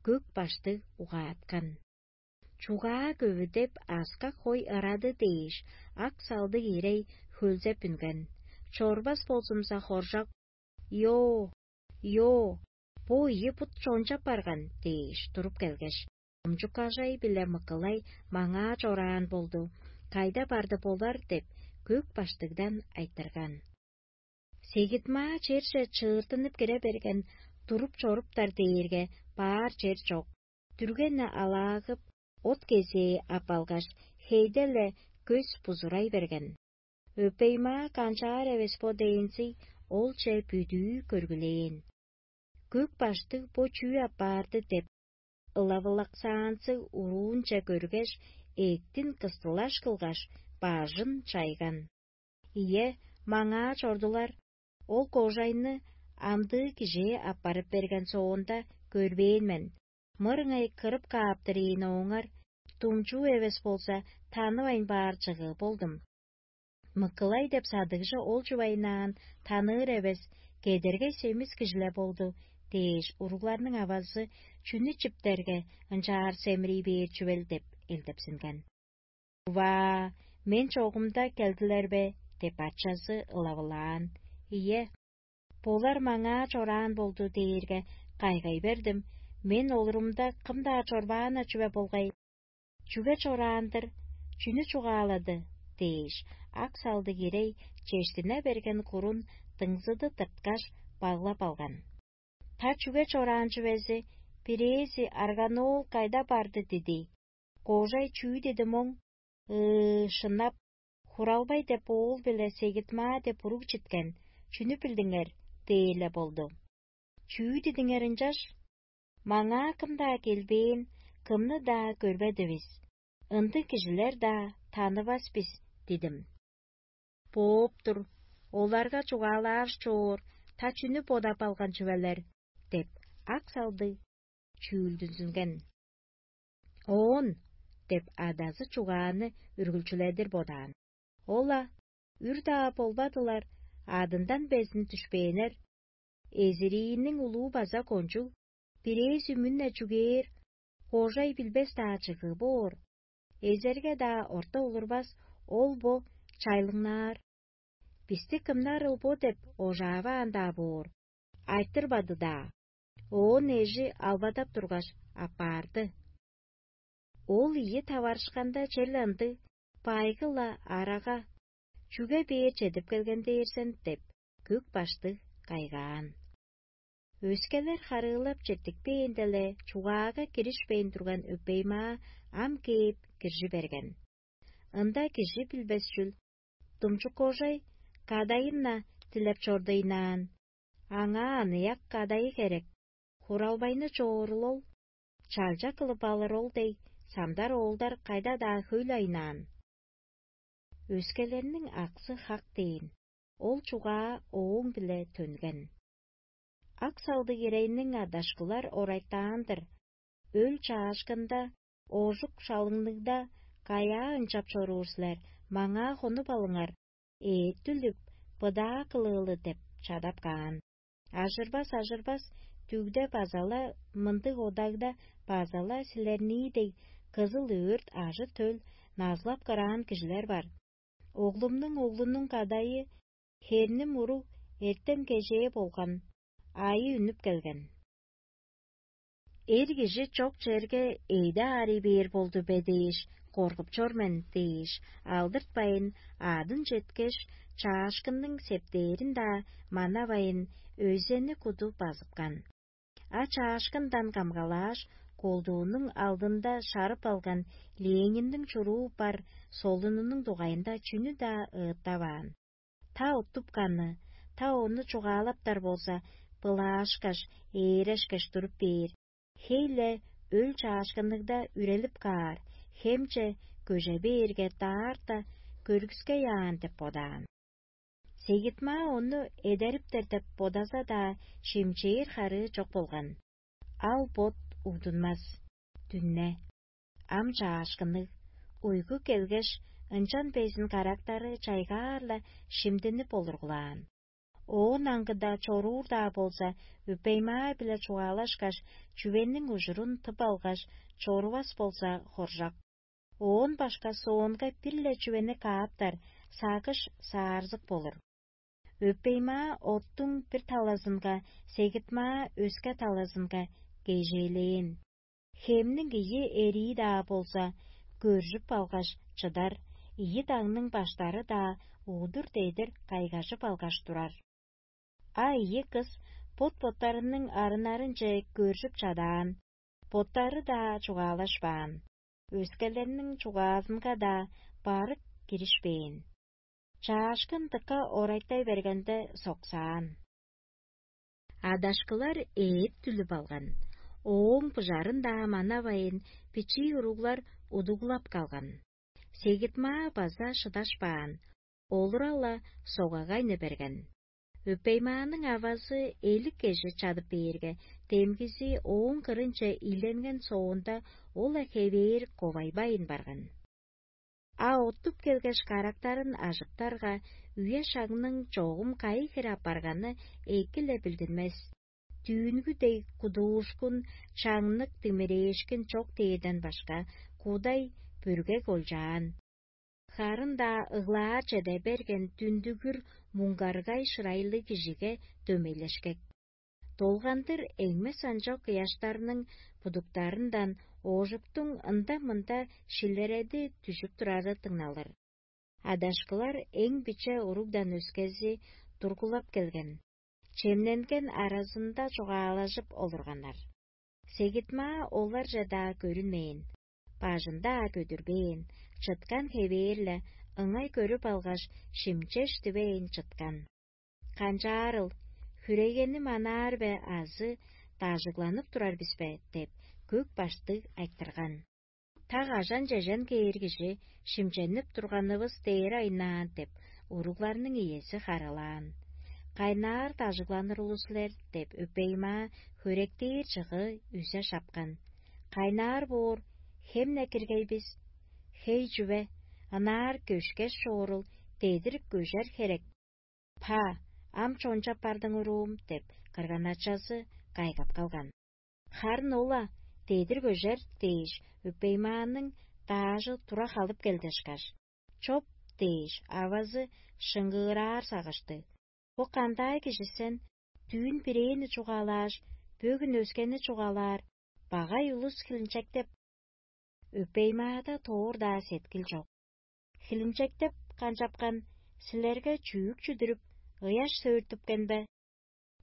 көк баштыг угааткан. Чугаа көвүдеп, аскак хой ырады дээш, ак салдыг ирей хөлзеп үнген. Чорбас болзумза, хоржок: «Йо, йо, бо ийи бут чончап барган» – дээш, туруп келгеш, омчуккажай-биле мыкылай маңаа чораан болду, кайда барды болар деп, көк баштыгдан айтырган. Сегитмаа черже чыыртынып кире берген, туруп чоруптар дээрге баар чер чок. Дүрген-не алаагып, от кезээ ап алгаш, хейде-ле көс бузурай берген. Өпеймаа канчаар эвес бо дээнзий, олче бүдүү көргүлээн. Көк баштыг бо чүү апарды деп, ылавылаксаанзыг уруунче көргеш, эъктин кыстылаш кылгаш, бажын чайган. Ийе, маңаа чордулар, ол кожайны амдыы кижээ аппарып берген соонда көрбээн мен. Мырыңай кырып кааптыр ийин ооңар, думчуу эвес болза, танывайн баар чыгыы болдум. Мыкылай деп садыгжы ол чугайнаан таныыр эвес, кедергей семис кижиле болду дээш, уругларның авазы чүнү чиптерге, ынчаар семирий бээр чүвел деп элдепсинген. «Ва, мен чогумда келдилер бе?» – деп, ачазы ылавылаан. «Ийе, болар маңаа чораан болду дээрге, кайгай бердим, мен олурумда кым-даа чорбаан-на чүве болгай. Чүге чораан-дыр, чүнү чугаалады?» дээш, ак салдыг ирей чештине берген курун дыңзыды тырткаш, баглап алган. Та чүге чораан чүвези, бирээзи арганоол кайда барды диди? Кожай чүү деди моң? Ыы, шынап, хуралбай деп оол биле сегитмаа деп уруг читкен, чүнү билдиңер? Дээрле болду. Чүү дидиңер ынчаш? Маңаа кым-даа келбээн, кымны-даа көрбедивис, ындыг кижилер-даа танывас бис дидим. Бооп тур, оларга чугаалаар чоор, та чүнү бодап алган чүвелер? Деп, ак салдыг чүүлдүнзүнген. Оон деп адазы чугааны үргүлчүледир бодаан. Ол-ла, үр-даа болбадылар, адындан безин дүшпээннер. Эзириинниң улуу база кончуг, бирээзи мүн-не чүгээр, кожай билбес-даа чыгыы боор. Эзерге-даа орта олурбас, ол бо чайлыңнаар. Бисти кымнарыл бо деп ожааваан-даа боор, айтырбады-даа. Оон эжи албадап тургаш, аппаарды. Ол ийи таварышканда черле ындыг, байгы-ла арага, чүге бээр чедип келген дээр сен деп, көк баштыг кайгаан. Өскелер харыылап четтикпээнде-ле чугаага киришпейн турган өпеймаа ам кээп киржи берген. Ында кижи билбес чүл, думчуккожай кадайын-на дилеп чордуйнаан. Аңаа аныяк кадайы херек, хуралбайны чоорул ол, чалча кылып алыр ол дег, самдар оолдар кайда-даа хөй-ле айнаан. Өскелерниң аксы хак дээн, ол чугаа ооң-биле төнген. Ак салдыг ирейниң адашкылар орайтаан-дыр, өл чаашкында, ожук шалыңныг-даа каяа ынчап чоруур силер, маңаа хонуп алыңар, эът-дүлүп, быдаа кылыылы деп чадап каан. Ажырбас-ажырбас дүгде база-ла мындыг одагда база-ла силернии дег кызыл өөрт ажы-төл назылап кыраан кижилер бар. Оглумнуң оглунуң кадайы херним уруг эртем кежээ болган, аайы үнүп келген. Эр кижи чок черге эйде аарый бээр болду бе дээш, коргуп чор мен дээш, алдыртпайн, аадын четкеш, чаашкынның септээрин-даа манавайн, өзени куду базыпкан. А чаашкындан камгалааш, колдуунуң алдында шарып алган Ленинниң чуруу бар солунунуң дугайында чүнү-даа ыыттаваан. Та уттупканы, та ону чугаалаптар болза, былаашкаш, ээрешкеш туруп бээр, хей-ле өл чаашкынныг-даа үрелип каар, хемче көже бээрге даарта көргүскей аан деп бодаан. Сегитмаа ону эдериптер деп бодаза-даа, шимчээр харыы чок болган. Ал-бот угдунмас. Дүнне. Ам чаашкынныг, уйгу келгеш, ынчан безин карактары чайгаар-ла шимдинип олургулаан. Оон аңгыда чоруур-даа болза, өпеймаа-биле чугаалашкаш, чүвениң ужурун тып алгаш, чорувас болза, хоржак. Оон башка соонга бир-ле чүвени кааптар, сагыш саарзык болур. Өпеймаа оттуң бир талазынга, сегитмаа өске талазынга кежээлээн. Хемниң ийи эрии-даа болза, көржүп алгаш чыдар, ийи дагның баштары-даа удур-дедир кайгажып алгаш турар. А ийи кыс бот-боттарының арыннарынче көржүп чадаан, боттары-даа чугаалашпаан, өскелерниң чугаазынга-даа барык киришпээн. Чаашкын дыка орайтай бергенде соксаан. Адашкылар ээп-дүлүп алган, ооң быжарын-даа манавайн, бичии уруглар удуглап калган. Сегитмаа база шыдашпаан, олура-ла согагайны берген. Өпеймааның авазы элик кежи чадып бээрге, демгизи ооң кырынче ийленген соонда, ол-ла хевээр ковайбайн барган. А оттуп келгеш, карактарын ажыптарга, үе-шагның чогум кайы хире апарганы эки-ле билдинмес. Дүүнгү дег кудуушкун, чаңнык димирээшкин чок дээрден башка, кудай бүргек олчаан. Харын-даа ыглаар чеде берген дүндүгүр муңгаргай шырайлыг кижиге дөмейлешкек. Долгандыр эңмес анчок ыяштарның будуктарындан оожуктуң ында-мында шилереди дүжүп турары дыңналыр. Адашкылар эң биче уругдан өскези тургулап келген, чемненген аразында чугаалажып олурганнар. Сегитмаа оларже-даа көрүнмээн, бажын-даа көдүрбээн, чыткан хевээр-ле ыңай көрүп алгаш, шимчеш дивейн чыткан. Канчаарыл, хүрегени манаар бе азы дажыгланып турар бис бе деп, көк баштыг айтырган. Так ажан-чежен кээр кижи шимченип турганывыс дээр айнаан деп, уругларның иези харылаан. Кайнаар дажыгланыр улус силер деп, өпеймаа хөректээр чыгы үзе шапкан. Кайнаар боор, хемне киргей бис? Хей чүве, ынаар көшкеш чоорул, дедир көжер херек. Па, ам чончап бардың уруум деп, кырган-ачазы кайгап калган. Харын ол-ла дедир көжер дээш, өпеймааның даажы тура халып келдешкаш, чоп дээш, авазы шыңгыыраар сагышты. Бо кандай кижи сен, дүүн бирээни чугаалааш, бөгүн өскени чугаалаар, багай улус хилинчектеп, өпеймаада тоор-даа сеткил чок. Хилинчектеп канчапкан силерге чүүк чүдүрүп, ыяш сөөртүпкен бе?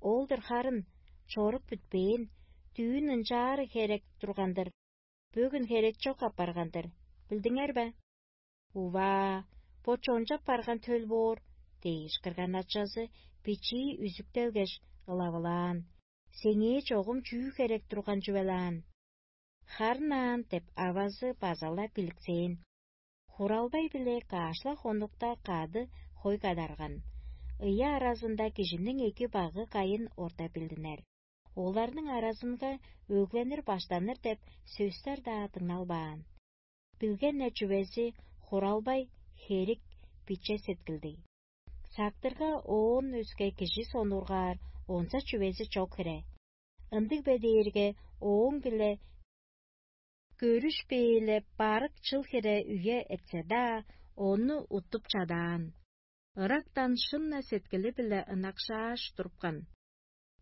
Ол-дур харын, чорук бүтпээн, дүүн ынчаары херек турган-дыр, бөгүн херек чок апарган-дыр, билдиңер бе? Уваа, бо чончап барган төл боор дээш, кырган-ачазы бичии үзүктелгеш, ылавылаан. Сеңээ чогум чүү херек турган чүвелаан? Харын аан деп авазы база-ла биликсээн. Хуралбай-биле каашла хонукта кады хой кадарган. Ыйы аразында кижиниң эки багы кайын орта билдинер. Оларның аразынга өгленир баштаныр деп сөстер-даа дыңналбаан. Билген-не чүвези хуралбай херик биче сеткилдиг. Сактырга оон өске кижи сонургаар онза чүвези чок хире. Ындыг бе дээрге ооң-биле көрүшпээле барык чыл хире үе эртсе-даа, ону уттуп чадаан. Ырактан шын-на сеткили-биле ынакшааш турупкан.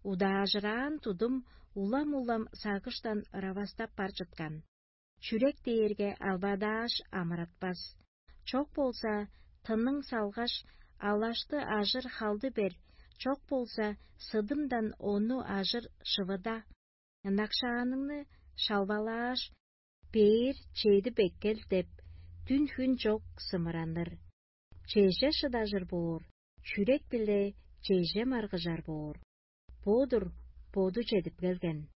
Удаажыраан тудум улам-улам сагыштан ыравастап бар чыткан. Чүрек дээрге албадааш амыратпас. Чок болза, тынның салгаш, алашты ажыр халды бер, чок болза, сыдымдан ону ажыр шывыда. Ынакшааныңны шалбалааш, бээр чедип эккел деп, дүн-хүн чок сымыраныр. Чеже шыдажыр боор, чүрек-биле чеже маргыжар боор. Бо-дур боду чедип келген.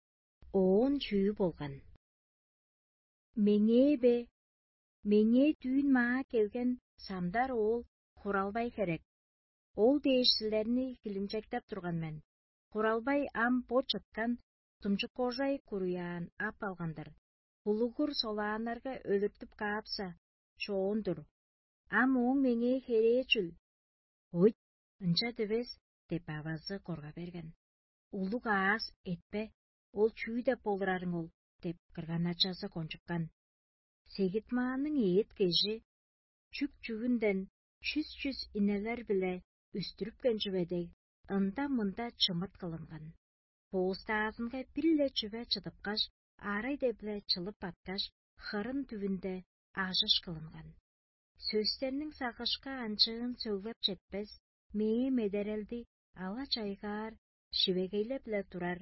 Оон чүү болган? Меңээ бе? Меңээ дүүн маа келген самдар оол хуралбай херек. Ол дээш силерни хилинчектеп турган мен. Хуралбай ам бо чыткан тумчуккожай куруяан ап алган-дыр. Булугур солааннарга өлүртүп каапса, чоон-дур. Ам ооң меңээ херээ чүл? Ойт, ынча дивес деп, авазы корга берген. Улуг аас этпе, ол чүү деп болурарың ол деп, кырган-ачазы кончупкан. Сегитмааның эът кежи чүк-чүгүнден чүс-чүс инелер-биле үстүрүпкен чүве дег, ында-мында чымыт кылынган. Боостаазынга бир-ле чүве чыдыпкаш, арай-дебле чылып баткаш, хырын дүвүнде ажыш кылынган. Сөстерниң сагышка анчыын сөглеп четпес, мээң медерелди ала-чайгаар шивегейлеп-ле турар,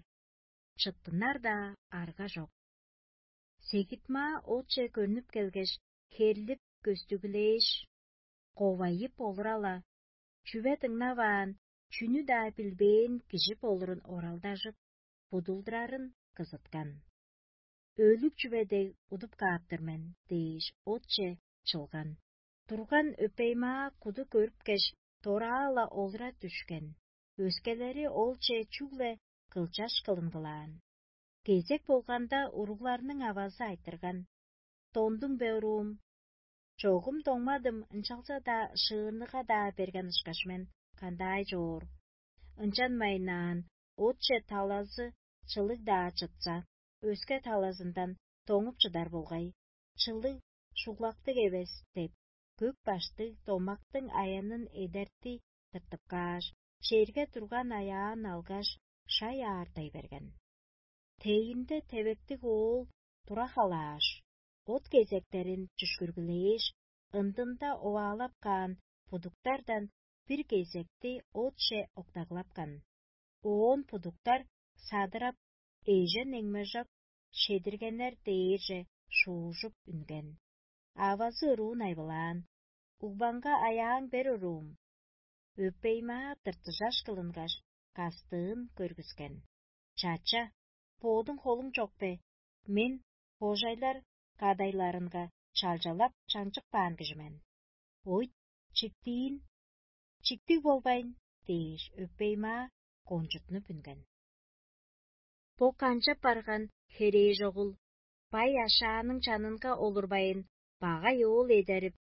чыттынар-даа арга чок. Сегитмаа отче көрнүп келгеш, херлип көстүглээш, ковайып олура-ла, чүве дыңнаваан, чүнү-даа билбээн кижи болурун оралдажып, будулдурарын кызыткан. «Өлүг чүве дег удуп кааптыр мен» – дээш, отче чылган. Турган өпеймаа куду көрүпкеш, дораа-ла олура дүшкен. Өскелери олче чүгле кылчаш кылынгылаан. Кезек болганда, уругларның авазы айтырган: «Дондуң бе, уруум?» «Чогум доңмадым, ынчалза-даа шыырныга-даа берген ышкаш мен, кандаай чоор?» Ынчанмайнаан, отче талазы чылыг-даа чытса, өске талазындан доңуп чыдар болгай. «Чылыг шуглактыг эвес» – деп, көк баштыг домактың аянын эдерти тыртып кааш, черге турган аяан алгаш, шай аартай берген. Тейинде тевектиг оол тура халааш, от кезектерин чүшкүргүлээш, ындында оваалап каан будуктардан бир кезекти отче октаглапкан. Оон будуктар садырап, эжен эңмежок шедиргеннер дээрже шуужуп үнген. Авазы ыруун айбылаан: «Угбаңга аяаң бер, уруум». Өпей-маа тыртыжаш кылынгаш, кастыын көргүскен: «Чача, боодуң холуң чок бе? Мен кожайлар кадайларынга чалчалап чаңчык баан кижи мен. Ойт, чиктиин, чиктиг болбайн» – дээш, өпей-маа кончутнуп үнген. Бо канчап барган херээжогул бай ашааның чанынга олурбайн, багай оол эдерип,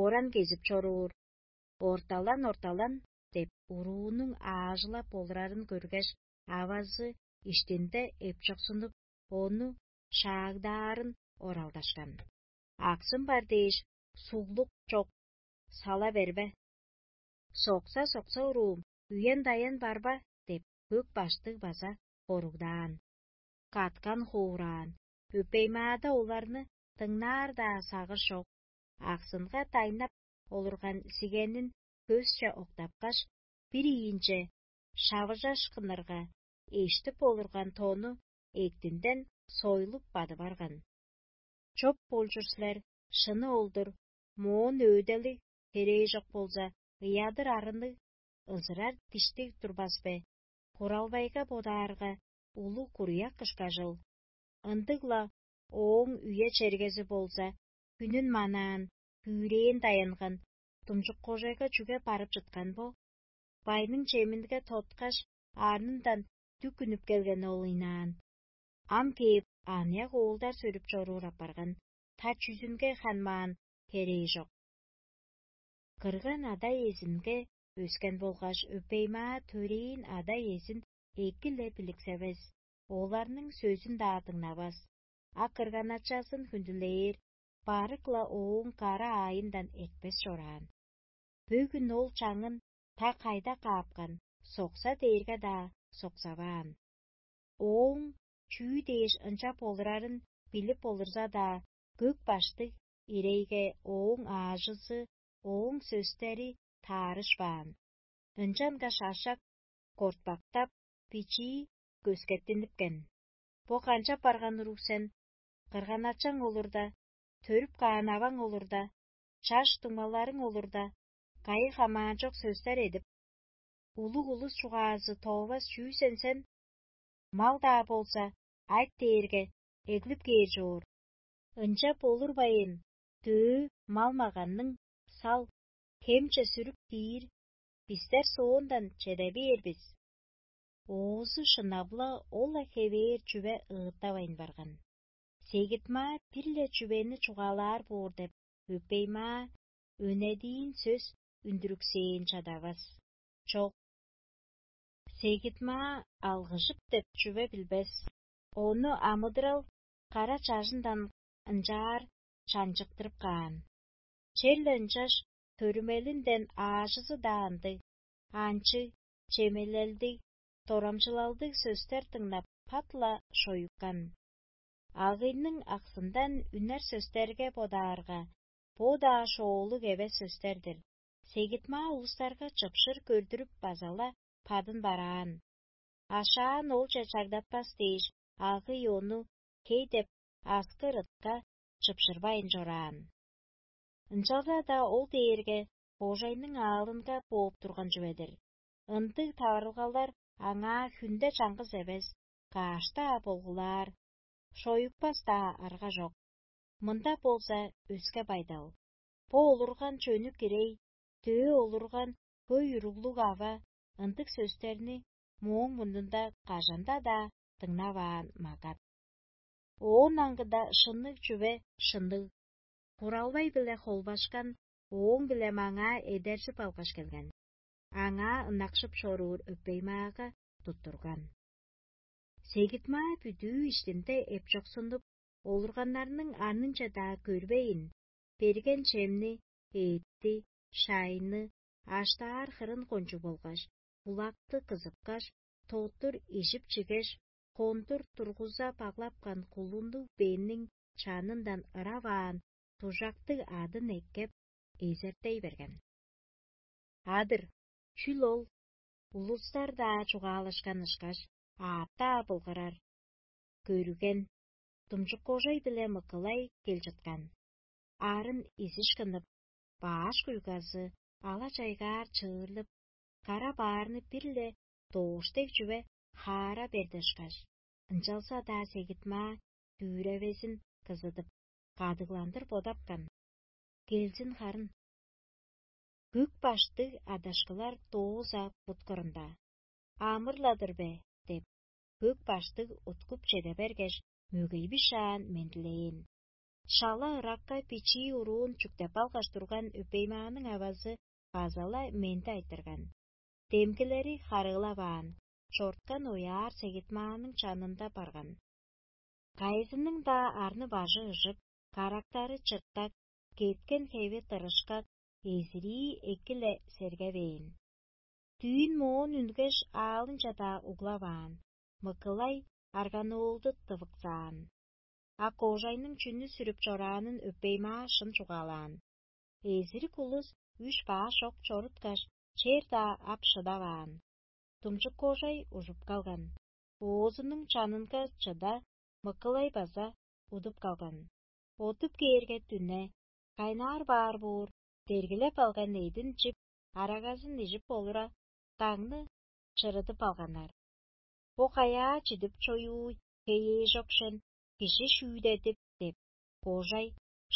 оран кезип чоруур. «Орталан, орталан» – деп, уруунуң аажылап олурарын көргеш, авазы иштинде эпчоксунуп, ону шаагдаарын оралдашкан. «Аксым бар дээш, суглук чок, сала бербе. Сокса-сокса, уруум, үен-даян бар ба?» – деп, көк баштыг база хоругдаан. Каткан хоораан, өпей-маада оларны дыңнаар-даа сагыш чок. Аксынга дайнап олурган сигенин көсче октапкаш, бир ийинче шавыжаш кынырга, эштип олурган тону эктинден сойлуп бадып арган. «Чоп болчур силер, шыны ол-дур, моон өөделиг херээжок болза, ыядыр арынныг, ызырар диштиг турбас бе? Куралбайга бодаарга, улуг куруяк кышкажыл. Ындыг-ла ооң үе-чергези болза, хүнүн манаан, күүрээн даянган, думчук-кожайга чүге барып чыткан бо? Байның чеминге тоткаш, арнындан дүк үнүп келген ол ыйнаан. Ам кээп, аныяк оолдар сөрүп чоруур апарган, та чүзүнге ханмаан херээ чок». Кырган ада-иезинге өскен болгаш, өпей-маа төрээн ада-иезин эки-ле биликсевес, оларның сөзүн-даа дыңнавас, а кырган-ачазын хүндүлээр, барык-ла ооң кара аайындан эртпес чораан. Бөгүн ол чаңын та кайда каапкан, сокса дээрге-даа соксаваан. Ооң чүү дээш ынчап олурарын билип олурза-даа, көк баштыг ирейге ооң аажызы, ооң сөстери таарышпаан. Ынчангаш ашак кортпактап, бичии көскеттинипкен. «Бо канчап барган уруг сен? Кырган-ачаң олурда, төрүп каан аваң олурда, чаш дуңмаларың олурда, кайы хамаанчок сөстер эдип, улуг улус чугаазы тоовас чүү сен сен? Мал-даа болза, айт дээрге, эглип кээр чоор. Ынчап олурбайн, дөө мал-маганның сал, хемче сүрүп киир, бистер соондан чеде бээр бис». Оозу шынап-ла ол-ла хевээр чүве ыыттавайн барган. Сегит-маа бир-ле чүвени чугаалаар боор деп, өпей-маа өнедиин сөс үндүрүксээн чадавас. Чок. Сегит-маа алгыжып деп чүве билбес. Ону амыдырал кара чажындан ынчаар чаңчыктырып каан. Черле ынчаш төрүмелинден аажызы-даа ындыг, анчыг, чемелелдиг, дорамчылалдыг сөстер дыңнап, пат-ла шоюккан. Агыйның аксындан үнер сөстерге бодаарга, бо-даа шоолуг эвес сөстер-дир. Сегит-маа улустарга чыпшыр көрдүрүп база-ла падын бараан. Ашаан олче чагдатпас дээш, агый ону хей деп аскыр ытка чыпшырбайн чораан. Ынчалза-даа ол дээрге кожайның аалынга бооп турган чүве-дир. Ындыг таварылгалар аңаа хүнде чаңгыс эвес, каш-даа болгулаар, шоюппас-даа арга чок. Мында болза өске байдал. Бо олурган чөнүк ирей, дөө олурган хөй уруглуг ава ындыг сөстерни мооң мурнунда кажан-даа дыңнаваан магат. Оон аңгыда шынныг чүве шынныг, куралбай-биле холбашкан, ооң-биле маңаа эдержип алгаш келген, аңаа ынакшып чоруур өпей-маага туттурган. Сегит-маа бүдүү иштинде эпчоксунуп, олурганнарның арнынче-даа көрбейн, берген чемни, эътти, шайны, аштаар хырын кончуг болгаш, булакты кызыпкаш, тоттур ижип-чигеш, хондур тургуза баглапкан кулуннуг бенниң чанындан ырап аан дужактыг адын эккеп, эзертей берген. Адыр, чүл ол улустар-даа чугаалашкан ышкаш, аъттаа былгырар. Көрген, думчук кожай биле мыкылай кел чыткан. Арын изиш кынып, бааш куйгазы ала-чайгаар чыырлып, кара баарны бир-ле доош дег чүве хаара берди ышкаш, ынчалза-даа сегитмаа дүүревезин кызыдып, кадыгландыр бодапкан. Келзин харын. Көк баштыг адашкылар дооза буткурунда: «Амыр-ла-дыр бе?» – деп, көк баштыг уткуп чеде бергеш, мөгейби шаан мендилээн. Шала ыракка бичии уруун чүктеп алгаш турган өпеймааның авазы база-ла менди айтырган. Демгилери харыылаваан, чорткан ояар сегитмааның чанында барган. Кайызының-даа арны-бажы ыжык, карактары чыртак, кеткен хеви тырышкак, эзирии эки-ле сергевээн. Дүүн моон үнгеш, аалынче-даа углаваан, мыкылай арганоолду тывыксаан. А кожайның чүнү сүрүп чораанын өпеймаа шын чугаалаан. Эзирик улус үш баш ок чоруткаш, чер-даа ап шыдаваан. Думчук кожай ужуп калган. Оозунуң чанынга чыда, мыкылай база удуп калган. Одуп кээрге дүне, кайнаар баар боор, дергилеп алган эъдин чип, арагазын ижип олура, дагны чырыдып алганнар. «Бо каяа чидип чоюуй хеее чок шен, кижи шүүдедип?» – деп, кожай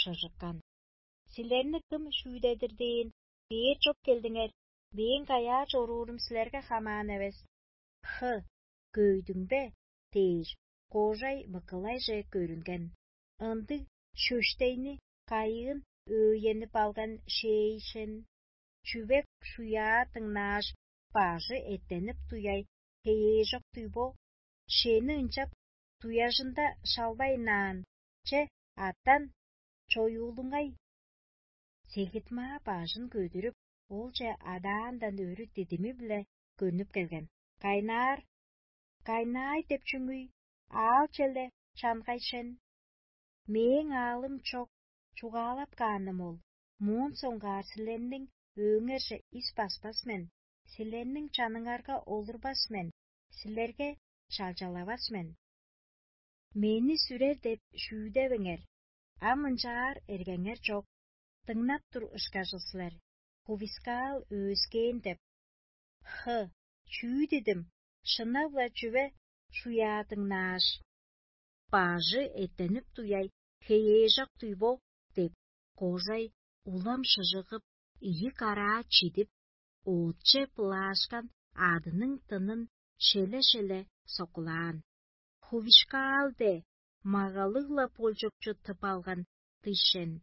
шыжыккан. «Силерни кым шүүдедир дээн, бээр чоп келдиңер, мээң каяа чоруурум силерге хамаан эвес. Хы, көйдүң бе?» – дээш, кожай мыкылайже көрүнген. Ындыг шөштейни кайыын өөйенип алган шээйшен. Чүвек шуяа дыңнааш, бажы эттенип туяй хеежок-туй бо, шени ынчап туяжында шалбайнаан, че, аттан, чоюулуңай. Сегитмаа бажын көдүрүп, олче адаандан өрү дидими-биле көрнүп келген. Кайнаар, кайнаай деп чүңүй, аал-челе чангай шен. Мээң аалым чок, чугаалап кааным ол, моон соңгаар силерниң өөңерже ис баспас мен, силерниң чаныңарга олурбас мен, силерге чалчалавас мен. Мени сүрер деп шүүдевеңер, ам ынчаар эргеңер чок, дыңнап тур ышкажыл силер, хувискаал өөскээн деп. Хы, чүү дидим, шынап-ла чүве шуяадыңнааш, бажы эттенип туяй хеежок-туй бо деп, кожай улам шыжыгып, ийи караа чидип, оотче былаашкан адының тынын шеле-шеле соккулаан. Хувишкаал де магалыг-ла болчукчу тып алган дишен.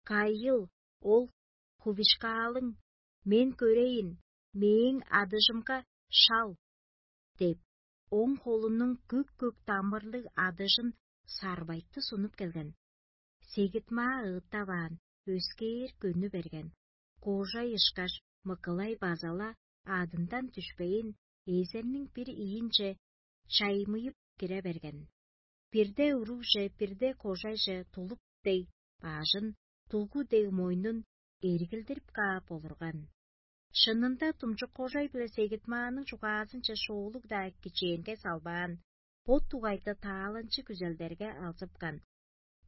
Кайыл ол хувишкаалың, мен көрейн, мээң адыжымга шал, – деп, оң холунуң көк-көк дамырлыг адыжын сарбайтты сунуп келген. Сегитмаа ыыттаваан, өскээр көнү берген. Кожай ышкаш мыкылай база-ла адындан дүшпейн, эзерниң бир ийинче чаймыйып кире берген. Бирде уругже, бирде кожайже тулуп дег бажын, дулгу дег мойнун эргилдирип каап олурган. Шынында, думчук кожай биле сегитмааның чугаазынче шоолуг-даа кичээнге салбаан, бот дугайда тааланчы күзелдерге алзыпкан.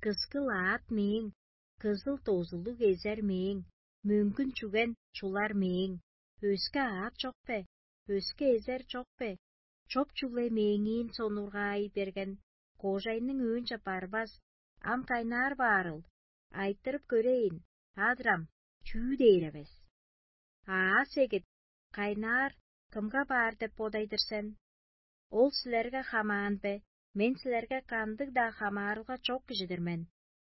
Кыскыл аът мээң, кызыл дозулуг эзер мээң, мөңгүн чүген чулар мээң. Өске аът чок бе? Өске эзер чок бе? Чоп чүгле мээңиин сонургаай берген, кожайның өөнче барбас, ам кайнаар баарыл, айтырып көрейн, адырам, чүү дээр эвес. Аа, сегит, кайнаар кымга баар деп бодайдыр сен? Ол силерге хамаан бе? Мен силерге кандыг-даа хамаарылга чок кижи-дир мен.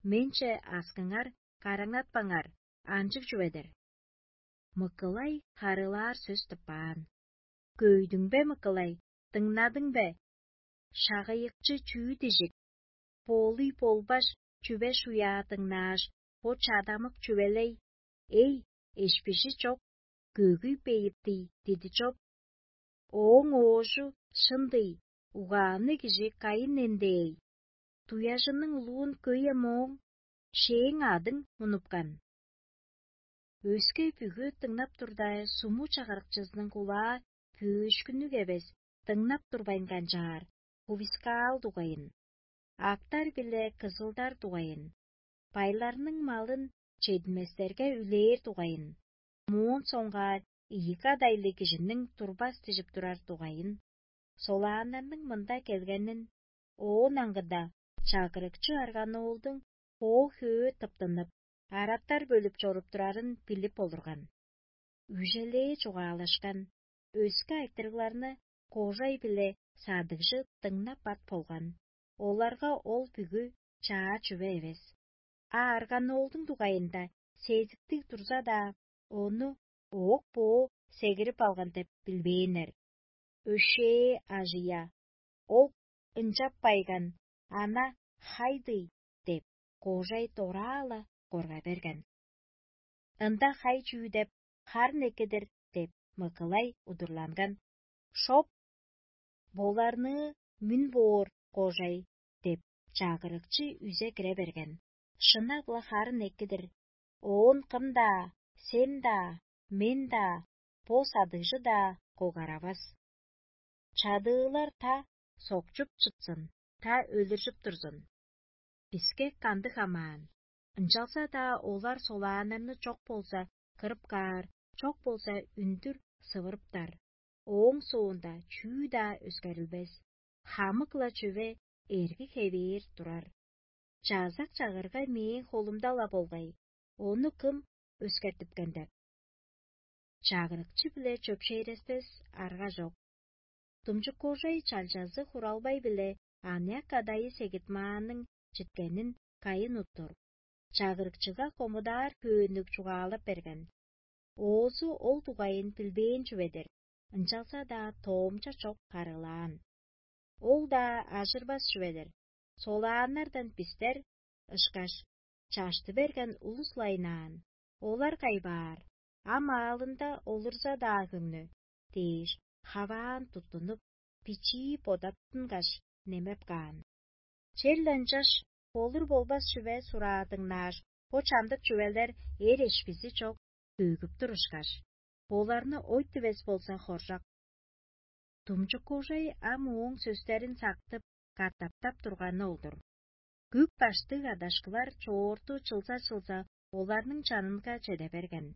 Менче аскыңар, караңнатпаңар, анчыг чүве-дир. Мыкылай харыылаар сөс тыппаан. Көйдүң бе, мыкылай, дыңнадың бе? Шагыйыкчы чүү дижик? Боолуй болбаш чүве шуяа дыңнааш, бо чадамык чүвелей: «Эй, эшпижи чок, көөгүй бейиптий» диди чоп. Ооң оожу шын-дый, угаанныг кижи кайын эндээй? Дуяжының улуун көй-ем ооң, шээң адың мунупкан. Өске бүгү дыңнап турда, суму чагырыкчызының кулаа пүүшкүннүг эвес, дыңнап турбайн канчаар, хувискаал дугайын, актар биле кызылдар дугайын, байларның малын чединместерге үлээр дугайын, моон соңгаар ийи кадайлыг кижиниң турбас дижип турар дугайын, солааннарның мында келгенин, оон аңгыда чагырыкчы арганоолдуң хоо-хөө тыптынып, араттар бөлүп чоруп турарын билип олурган. Үжелээ чугаалашкан, өске айтырыгларны кожай биле садыгжы дыңнап ат болган. Оларга ол бүгү чаа чүве эвес. А арганоолдуң дугайында сезиктиг турза-даа, ону оок-боо сегирип алган деп билбээннер. Өшээ ажыя, ол ынчап байган, ана хай-дый деп, кожай дораа-ла корга берген. Ында хай чүү деп, харын эккедир деп, мыгылай удурланган. Шоп, боларныы мүн боор кожай деп, чагырыкчы үзе кире берген. Шынап-ла харын эккедир, оон кым-даа, сен-даа, мен-даа, бо садыгжы-даа когаравас. Чадыылар та сокчуп чыпсын, та өлүржүп турзун. Биске кандыг хамаан? Ынчалза-даа олар солааннарны чок болза кырып каар, чок болза үндүр сывырыптар. Ооң соонда чүү-даа өскерилбес. Хамык-ла чүве эрги хевээр турар. Чазак чагырга мээң холумда-ла болгай, ону кым өскертипкен деп? Чагырыкчы-биле чөпшээрестес арга чок. Думчук кожай чалчазы хуралбай-биле аныяк кадайы сегитмааның читкенин кайын уттур, чагырыкчыга хомудаар хөөннүг чугаалап берген. Оозу ол дугайын билбээн чүве-дир, ынчалза-даа тоомча чок харыылаан. Ол-даа ажырбас чүве-дир, солааннардан бистер ышкаш чашты берген улус-ла ынаан, олар кайбаар, ам аалында олурза-даа хөңнү дээш, хаваан туттунуп, бичии бодаптынгаш, немеп каан. Черле ынчаш болур-болбас чүве сураадыңнааш, бо чамдык чүвелер эр эшпизи чок бөгүп турушкаш, боларны ойт дивес болза хоржак. Думчук кожай ам ооң сөстерин сактып, катаптап турганы ол-дур. Күк баштыг адашкылар чоорту чылза-чылза оларның чанынга чеде берген.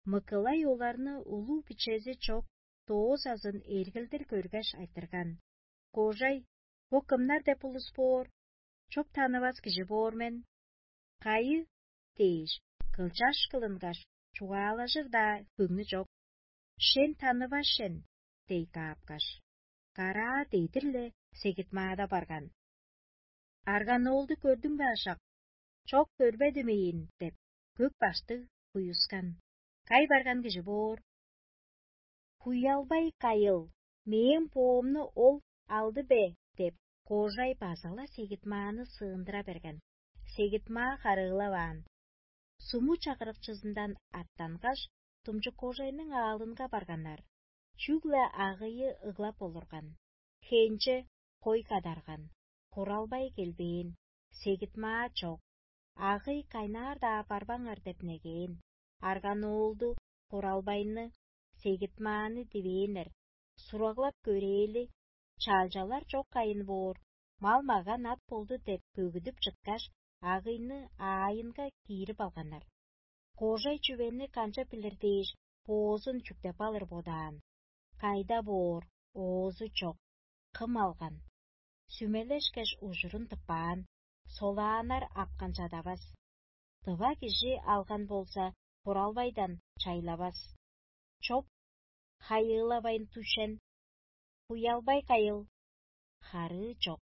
Мыкылай оларны улуг бичези чок доозазын эргилдир көргеш айтырган: «Кожай, бо кымнар деп улус боор? Чоп танывас кижи боор мен». «Кайы?» – дээш, кылчаш кылынгаш, чугаалажыр-даа хөңнү чок. «Шен танывас шен» – дей каапкаш, караа дедир-ле сегитмаада барган. «Арганоолду көрдүң бе, ашак?» «Чок, көрбедим ийин» – деп, көк баштыг хуюскан. «Кай барган кижи боор?» «Хуялбай кайыл, мээң боомну ол алды бе?» – деп, кожай база-ла сегитмааны сыындыра берген. Сегитмаа харыылаваан. Суму чагырыкчызындан аттангаш, думчук кожайның аалынга барганнар. Чүгле агыйы ыглап олурган. Хенче хой кадарган, хуралбай келбээн, сегитмаа чок. Агый кайнаар-даа барбаңар деп негээн. Арганоолду, хуралбайны, сегитмааны дивээннер. Сураглап көрээли, чалчалар чок кайын боор, мал-маган ат болду деп бөгүдүп чыткаш, агыйны аайынга киирип алганнар. Кожай чүвени канчап билир дээш, боозун чүктеп алыр бодаан. Кайда боор, оозу чок, кым алган? Сүмелешкеш, ужурун тыппаан, солааннар апкан чадавас. Дыва кижи алган болза, хуралбайдан чайлавас. Чоп, хайыылавайн тушен. Хуялбай кайыл. Харыы чок.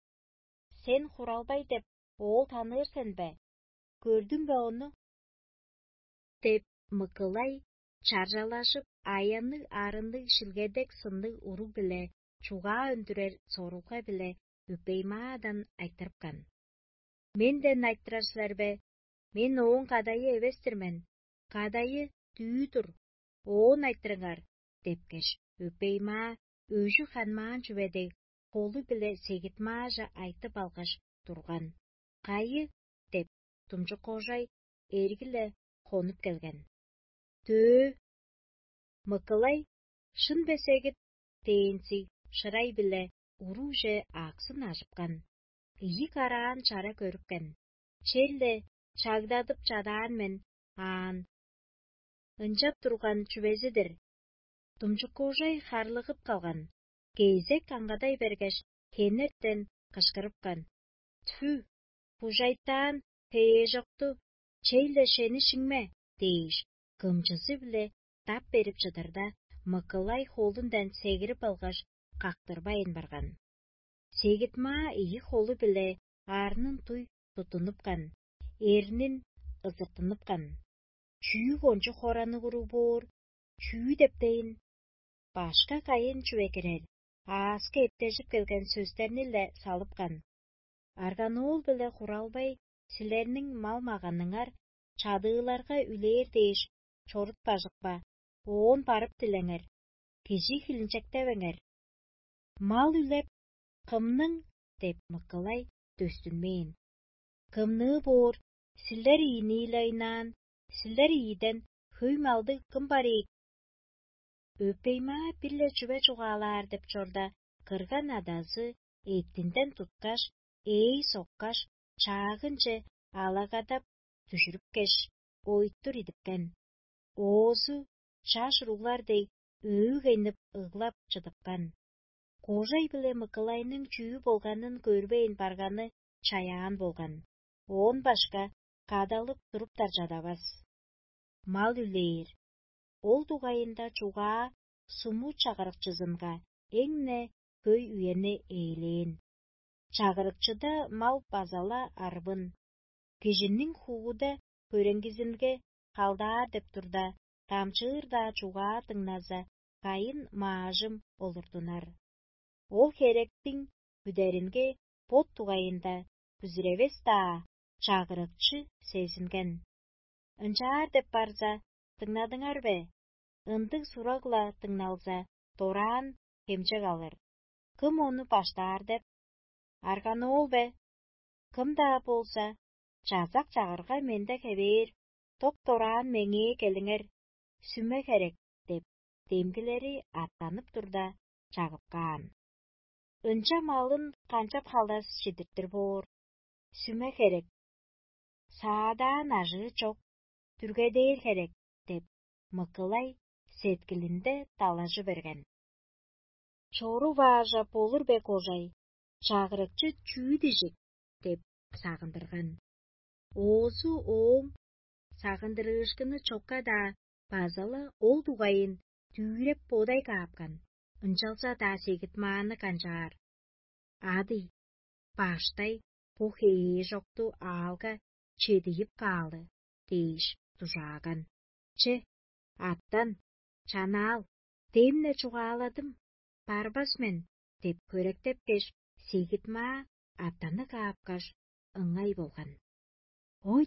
Сен хуралбай деп оол таныыр сен бе? Көрдүң бе ону? Деп мыкылай чаржалажып, аянныг-арынныг шилгедек сынныг уруг-биле чугаа өндүрер сорулга-биле өпеймаадан айтырыпкан. «Менден айтырар силер бе? Мен ооң кадайы эвес-тир мен. Кадайы дүү-дур, оон айтырыңар» – депкеш, өпеймаа өжү ханмаан чүве дег, холу-биле сегитмааже айтып алгаш турган. «Кайы?» – деп, думчук кожай эрги-ле хонуп келген. Дөө, Мыкылай шын бе сегит дээнзи шырай-биле урууже аксын ажыпкан, ийи караан чара көрүпкен. Черле чагдадып чадаан мен аан. Ынчап турган чүвези-дир. Думчуккуужай харлыгып калган, кезек аңгадай бергеш, хенертен кышкырыпкан: «Тфү, бужайтаан хеежокту, чей-ле шени шиңме!» — дээш, кымчызы-биле дап берип чыдырда, Мыкылай холундан сегирип алгаш, кактырбайн барган. Сегит-маа ийи холу-биле арнын туй туттунупкан, эрнин ызыртынныпкан. Чүү кончуг хоранныг уруг боор, чүү дептейн? Башка кайын чүве кирер, ааска эптежип келген сөстерни-ле салыпкан. Арганоол биле хуралбай силерниң мал-маганыңар чадыыларга үлээр дээш чорут бажыкпа, оон барып дилеңер, кижи хилинчектевеңер. Мал үлеп, кымның деп мыкылай дөстүнмээн. Кымныы боор, силер ийинииле ыйнаан, силер ийиден хөй малдыг кым бар ийик? Өпей-маа бир-ле чүве чугаалаар деп чорда, кырган адазы эъттинден туткаш, ээй соккаш, чаагынче алагадап дүжүрүпкеш, ойтур идипкен. Оозу чаш уруглар дег, өөгейнип ыглап чыдыпкан. Кожай биле Мыкылайның чүү болганын көрбейн барганы чаяан болган, оон башка кадалып туруптар чадавас. Мал үлээр. Ол дугайында чугаа суму чагырыкчызынга эң-не хөй үени ээлээн. Чагырыкчыда мал база-ла арбын. Кижиниң хууда көреңгизинге халдаар деп турда, дамчыыр-даа чугаа дыңназа, кайын маажым олурдунар. Ол херектиң бүдеринге бот дугайында бүзүревес-даа чагырыкчы сезинген. Ынчаар деп барза, дыңнадыңар бе? Ындыг сураг-ла дыңналза, дораан хемчек алыр. Кым ону баштаар деп? Арганоол бе? Кым-даа болза, чазак чагырга менде хевээр, доп-дораан меңээ келиңер, сүме херек деп, демгилери аттанып турда, чагып каан. Ынча малын канчап халас чидиртир боор? Сүме херек. Саадаан ажыы чок, дүргедээр херек деп, Мыкылай сеткилинде далажы берген. Чору-баажа болур бе, кожай, чагырыкчы чүү дижик? Деп сагындырган. Оозу ооң сагындырыышкыны чокка-даа база-ла ол дугайын дүүреп бодай каапкан, ынчалза-даа сегит-мааны канчаар. Ады, баштай бо хеежокту аалга чедийип каалы дээш дужааган. Че, аттан, чанаал, демне чугааладым, барбас мен деп хөректепкеш, сегит-маа аттаны каапкаш, ыңай болган. Ой,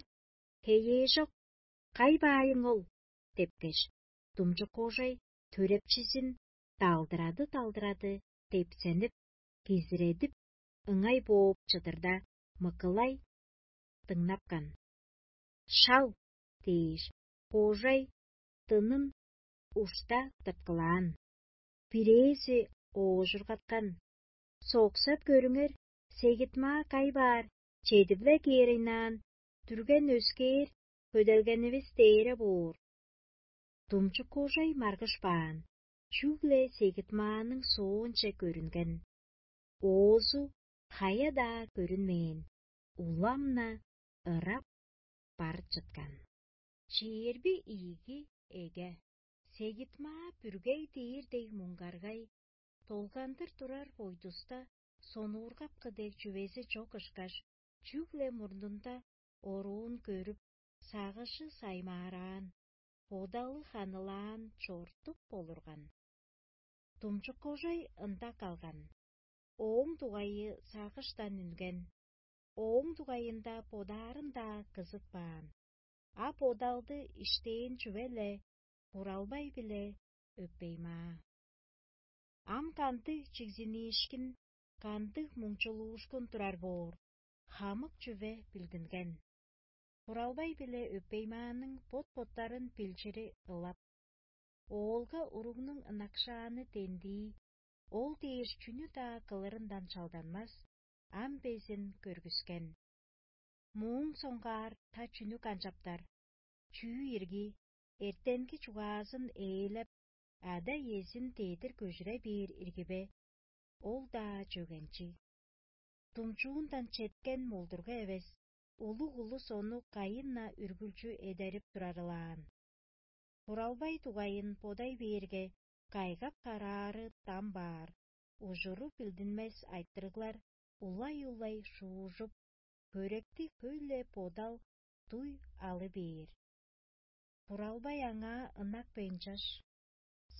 хеежок, кай баайың ол? Депкеш, думчук кожай төрепчизин далдырады-далдырады, депсенип, кизиредип, ыңай бооп чыдырда, Мыкылай дыңнапкан. «Шал!» — дээш, кожай дынын ушта тырткылаан. Бирээзи оожургаткан: «Соксап көрүңер, сегит-маа кай баар, чедип-ле кээрейнаан, дүрген өскээр, хөделгенивис дээре боор». Думчук кожай маргыш баан, чүгле сегит-мааның соонче көрүнген. Оозу хая-даа көрүнмээн, улам-на ырап бар чыткан. Чээрби ийиги эге. Сегит-маа бүргей дээр дег муңгаргай, долгандыр турар бойдуста сонуургапкы дег чүвези чок ышкаш, чүгле мурнунда оруун көрүп, сагыжы саймаараан, бодалы ханылаан чортук болурган. Думчуккожай ында калган. Ооң дугайы сагыштан үнген. Ооң дугайында бодаарын-даа кызытпаан, а бодалды иштээн чүве-ле буралбай-биле өппеймаа. Ам кандыг чигзиниишкин, кандыг муңчулуушкун турар боор, хамык чүве билдинген. Буралбай биле өпеймаанның бот-боттарын билчири ылап, оолга уругнуң ынакшааны дендии, ол дээш чүнү-даа кылырындан чалданмас, ам безин көргүскен. Мууң соңгаар та чүнү канчаптар? Чүү ирги, эртенги чугаазын ээлеп, ада-иезин дедир көжүре бээр ирги бе? Ол-даа чөгенчиг. Думчуундан четкен молдурга эвес, улуг улус ону кайын-на үргүлчү эдерип турарылаан. Буралбай дугайын бодай бээрге, кайгап-караары дам баар, ужуру билдинмес айтырыглар улай-улай шуужуп, хөректи хөй-ле бодал дуй алы бээр. Буралбай аңаа ынак бейн чаш.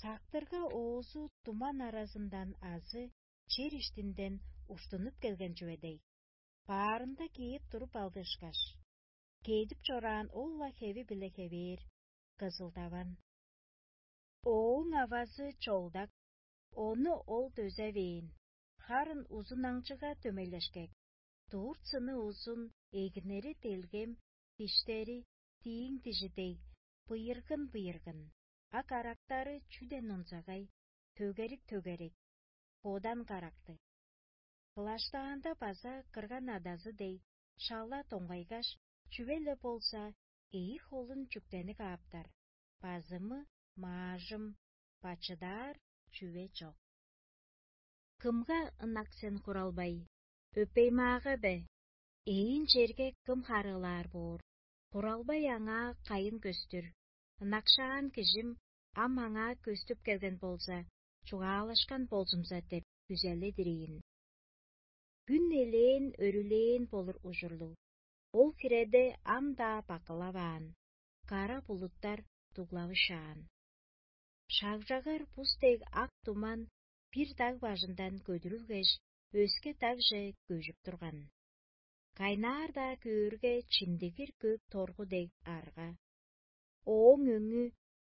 Сактырга оозу туман аразындан азы чер иштинден уштунуп келген чүве дег, баарында кээп туруп алды ышкаш, кедип чораан ол-ла хеви-биле хевээр, кызылдаван. Ооң авазы чолдак, ону ол дөзевээн, харын узунаңчыга дөмейлешкек, дурт-сыны узун, эгинери делгем, диштери тииң дижи дег, быйыргын-быйыргын, а карактары чүден онзагай, төгерик-төгерик, бодан карактыг. Кылаштаанда база кырган адазы дег, шала доңгайгаш, чүве-ле болза, ийи холун чүктени кааптар, базымы, маажым, бачыдаар чүве чок. Кымга ынак сен, Хуралбай? Өпей-маага бе? Ээн черге кым харыылаар боор? Хуралбай аңаа кайын көстүр? Ынакшаан кижим ам аңаа көстүп келген болза, чугаалашкан болзумза деп күзеледир ийин. Хүн элээн өрүлээн болур ужурлуг. Ол хиреде ам-даа бакылаваан, кара булуттар дуглавышаан. Шагжагар бус дег ак туман бир даг бажындан көдүрүлгеш, өске дагже көжүп турган. Кайнаар-даа көөрге, чимдигир көк торгу дег арга. Ооң өңү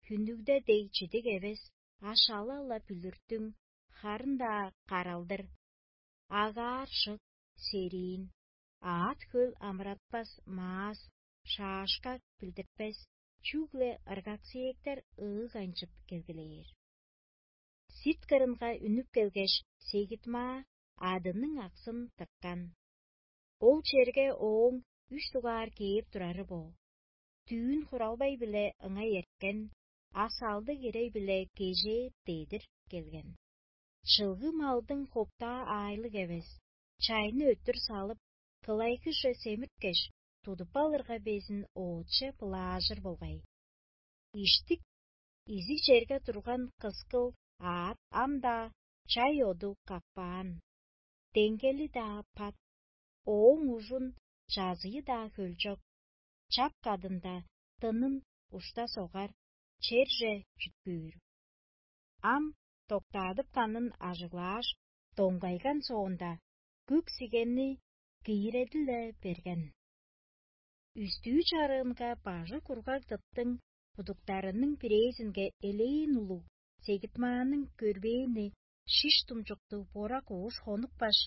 хүннүгде дег чидиг эвес, а шала-ла бүлүртүң, харын-даа каралдыр. Агаар шык, сериин, аът-хөл амыратпас маас, шаашкак билдиртпес, чүгле ыргаксээктер ыыг айынчып келгилээр. Сирт кырынга үнүп келгеш, сегит-маа адының аксын тырткан. Ол черге ооң үш дугаар кээп турары бо: дүүн Хуралбай-биле ыңай эрткен, а салдыг ирей-биле кежээ дедир келген. Чылгы малдың хоптаа аайлыг эвес, чайны өттүр салып, кылайгыже семирткеш, тудуп алырга безин оотче былаажыр болгай. Иштик, изиг черге турган кыскыл аът ам-даа чай оду каппаан. Деңгели-даа пат, ооң ужун чазыйы-даа хөлчок, чап кадында дынын ушта согар, черже чүткүүр. Ам доктаадып канын ажыглааш, доңгайган соонда, күк сигенни кииреди-ле берген. Үстүү чарыынга бажы кургаг дыттың будуктарының бирээзинге элээн улуг сегитмааның көрбээни шиш думчуктуг борак ууш хонупкаш,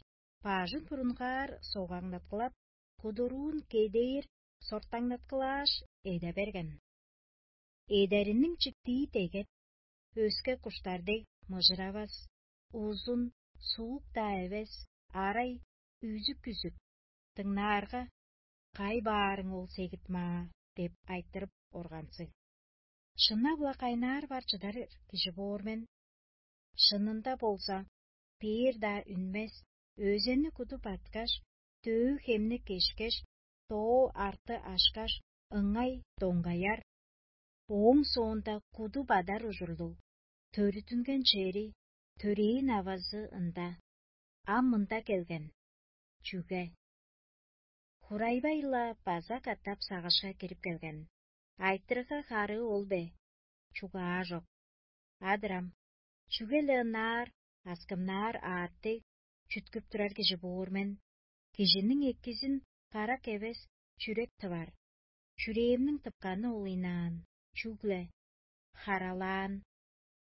бажын бурунгаар согаңнаткылап, кудуруун кедээр сортаңнаткылааш, эде берген. Эдериниң чиктии дегет, өске куштар дег мыжыравас, узун, суук-даа эвес, арай үзүк-үзүк, дыңнаарга: «Кай баарың ол сегит-маа?» — деп айтырып органзыг. Шынап-ла кайнаар бар чыдар кижи боор мен. Шынында болза, бээр-даа үнмес, өзени куду баткаш, дөө хемни кешкеш, доо арты ашкаш, ыңай доңгаяр. Ооң соонда куду бадар ужурлуг, төрүттүнген чери, төрээн авазы ында, ам мында келген. Чүге? Хурайбай-ла база катап сагышка кирип келген. Айтырыгга харыы ол бе? Чугаа чок. Адырам, чүге-ле ынаар, аскымнаар аът дег чүткүп турар кижи боор мен. Кижиниң эккизин карак эвес, чүрек тывар. Чүрээмниң тыпканы ол ыйнаан, чүгле харалаан,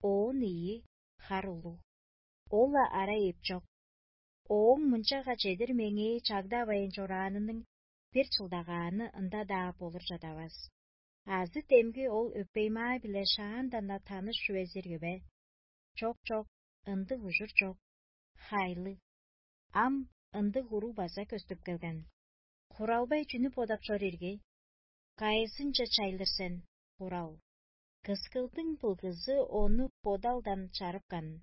оон ийи хар улуг. Ол-ла арай эпчок. Ооң мынчага чедир меңээ чагдавайн чораанының бир чылдагааны ында-даа болур чадавас. Азы демги ол өпеймаа-биле шаандан-на таныш чүвезирги бе? Чок, чок, ындыг ужур чок. Хайлыг. Ам ындыг уруг база көстүп келген. Хуралбай чүнү бодап чор ирги? Кайызынче чайлыр сен, хурал? Кыскылдың былгызы ону бодалдан чарыпкан.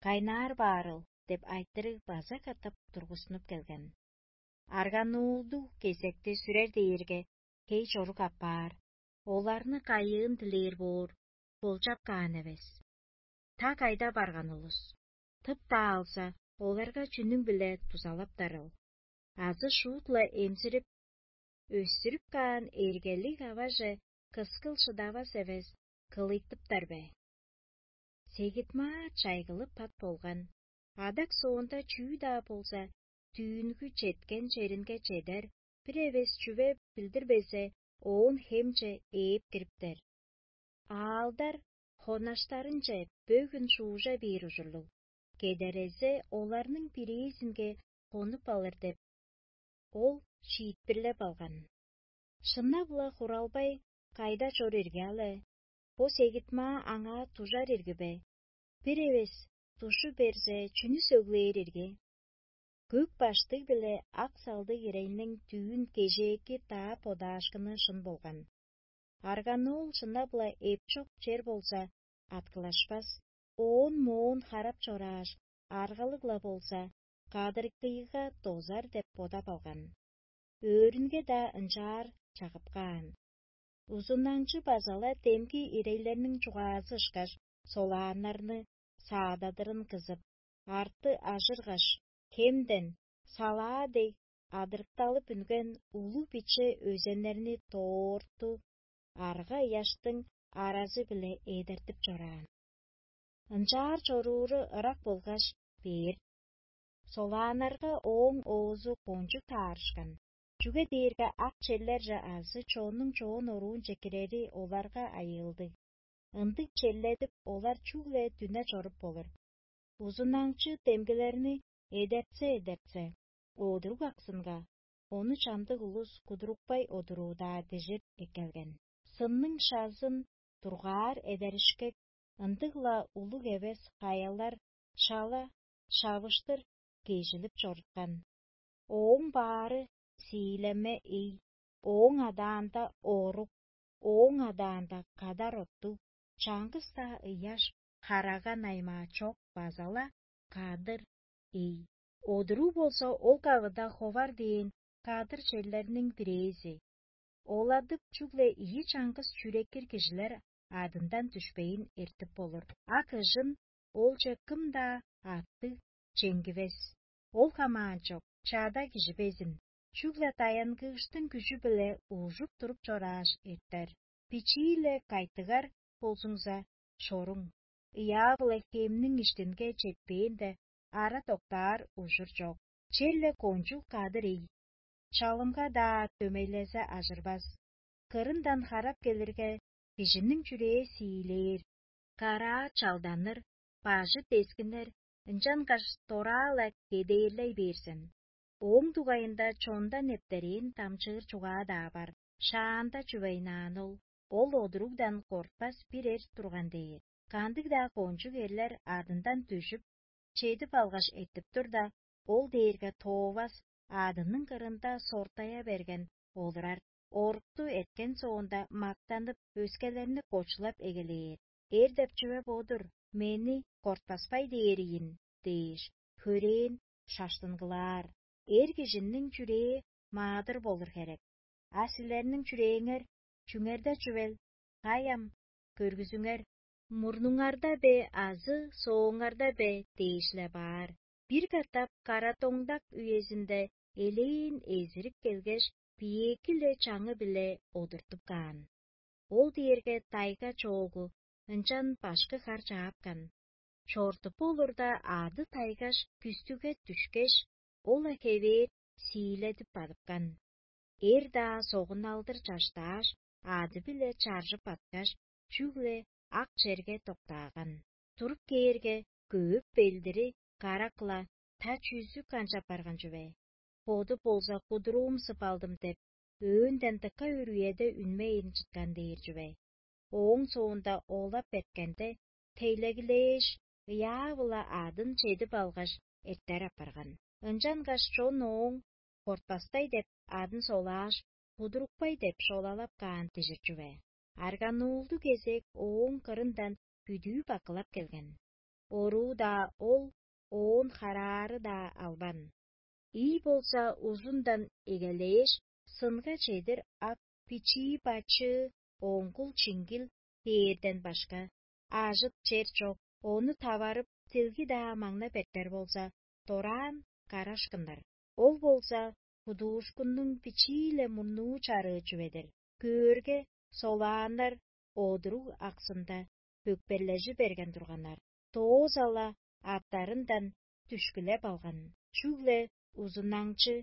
Кайнаар баарыл деп айтырыг база катап тургустунуп келген. Аргануулдуг кезекти сүрер дээрге, хей чорук апаар, оларны кайыын дилээр боор, болчап каан эвес. Та кайда барган улус? Тып-даа алза, оларга чүнүң-биле дузалаптарыл? Азы шуут-ла эмзирип, өстүрүп каан эргелиг аваже кыскыл шыдавас эвес, кылыйтыптар бе? Сегит-маа чайгылып пат болган. Адак соонда чүү-даа болза, дүүнгү четкен черинге чедер, бир эвес чүве билдирбезе, оон хемче ээп кириптер. Аалдар хонаштарынче бөгүн шуужа бээр ужурлуг, кедерезе оларның бирээзинге хонуп алыр деп, ол шиитпирлеп алган. Шынап-ла хуралбай кайда чор ирге але? Бо сегит-маа аңаа дужар ирги бе? Бир эвес душу берзе, чүнү сөглээр ирге? Көк баштыг биле ак салдыг ирейниң дүүн кежээки даа бодаашкыны шын болган. Аргануул шынап-ла эпчок чер болза, аткылашпас, оон-моон харап чорааш, аргалыг-ла болза, кадыргыйга дозар деп бодап алган. Өөрүнге-даа ынчаар чагып каан. Узунаңчы база-ла демги ирейлерниң чугаазы ышкаш, солааннарны саададырын кызып, арты ажыргаш, хемден салаа дег адырыкталып үнген улуг-биче өзеннерни доорту арга ыяштың аразы-биле эдертип чораан. Ынчаар чорууру ырак болгаш бээр. Солааннарга ооң оозу кончуг таарышкан, чүге дээрге ак черлерже азы чоннуң чоон оруунче кирери оларга айыылдыг. Ындыг черледип, олар чүгле дүне чоруп болур. Узунаңчы демгилерни эдертсе-эдертсе, одуруг аксынга, ону чамдык улус кудурупкай одуруу-даа дижир эккелген. Сынның шазын дургаар эдеришкек, ындыг-ла улуг эвес хаялар шала шавыштыр кежилип чоруткан. Ооң баары сиилеме ий, ооң адаанда орук, ооң адаанда кадар оттуг, чаңгыс-даа ыяш, харага наймаа чок база-ла кадыр ий. Одуруу болза ол кавыда ховар дээн кадыр черлерниң бирээзи. Оладып чүгле ийи чаңгыс чүреккир кижилер адындан дүшпейн эртип болур. А кыжын олче кым-даа аттыг чеңгивес. Ол хамаан чок, чаада кижи безин, чүгле даянгыыштың күжү-биле уужуп туруп чорааш эртер. Бичии-ле кайтыгар болзуңза, шоруң, ыяа-биле хемниң иштинге четпээнде, ара доктаар ужур чок. Черле кончуг кадыр ий. Чалымга-даа дөмейлезе ажырбас. Кырындан харап келирге, кижиниң чүрээ сиилээр, караа чалданыр, бажы дескинер, ынчангаш дораа-ла кедээрлей бээр сен. Ооң дугайында чондан нептерээн дамчыыр чугаа-даа бар. Шаанда чүвейнаан ол, ол одуругдан кортпас бир эр турган дээр. Кандыг-даа кончуг эрлер адындан дүжүп, чедип алгаш эртип турда, ол дээрге тоовас, адының кырында сортая берген олурар. Орукту эрткен соонда мактанып, өскелерни кочулап эгелээр. Эр деп чүве бо-дур, мени кортпаспай дээр ийин дээш, хөрээн шаштынгылаар. Эр кижиниң чүрээ маадыр болур херек. А силерниң чүрээңер чүңерде чүвел? Кай ам, көргүзүңер, мурнуңарда бе азы сооңарда бе дээш-ле баар. Бир катап карадоңдак үезинде элээн эзирип келгеш, биеэки-ле чаңы-биле одуртуп каан. Ол дээрге тайга чоогу, ынчан башкы хар чаапкан. Чорудуп болурда, ады тайгаш, күстүге дүшкеш, ол-ла хевээр сииледип бадыпкан. Эр-даа согуналдыр чаштааш, ады-биле чаржып баткаш, чүгле ак черге доктааган. Туруп кээрге, көөп белдири карак-ла, та чүзү канчап барган чүве. боду болза кудуруумсуп алдым деп, өөнтен дыка өрүеде үнмейн чыткан дээр чүве. Ооң соонда оолап эрткенде, тейлегилээш, ыяа-биле адын чедип алгаш, эртер апарган. Ынчангаш чон ооң «Кортпастай» деп адын солааш, «Кудурупкай» деп шолалап каан дижир чүве. Арганулду кезек ооң кырындан бүдүү бакылап келген. Оруу-даа ол, оон хараары-даа албан. Ий болза узундан эгелээш, сынга чедир ак, бичии-бачыы, оңгул-чиңгил дээрден башка, ажыт чер чок, ону таварып, дилги-даа маңнап эртер болза, дораан карашкыннар. Ол болза кудуушкуннуң бичии-ле мурнуу чарыы чүве-дир. Көөрге, солааннар одуруг аксында бөкперлежи берген турганнар. Доозала аттарындан дүшкүлеп алган, чүгле узунаңчы,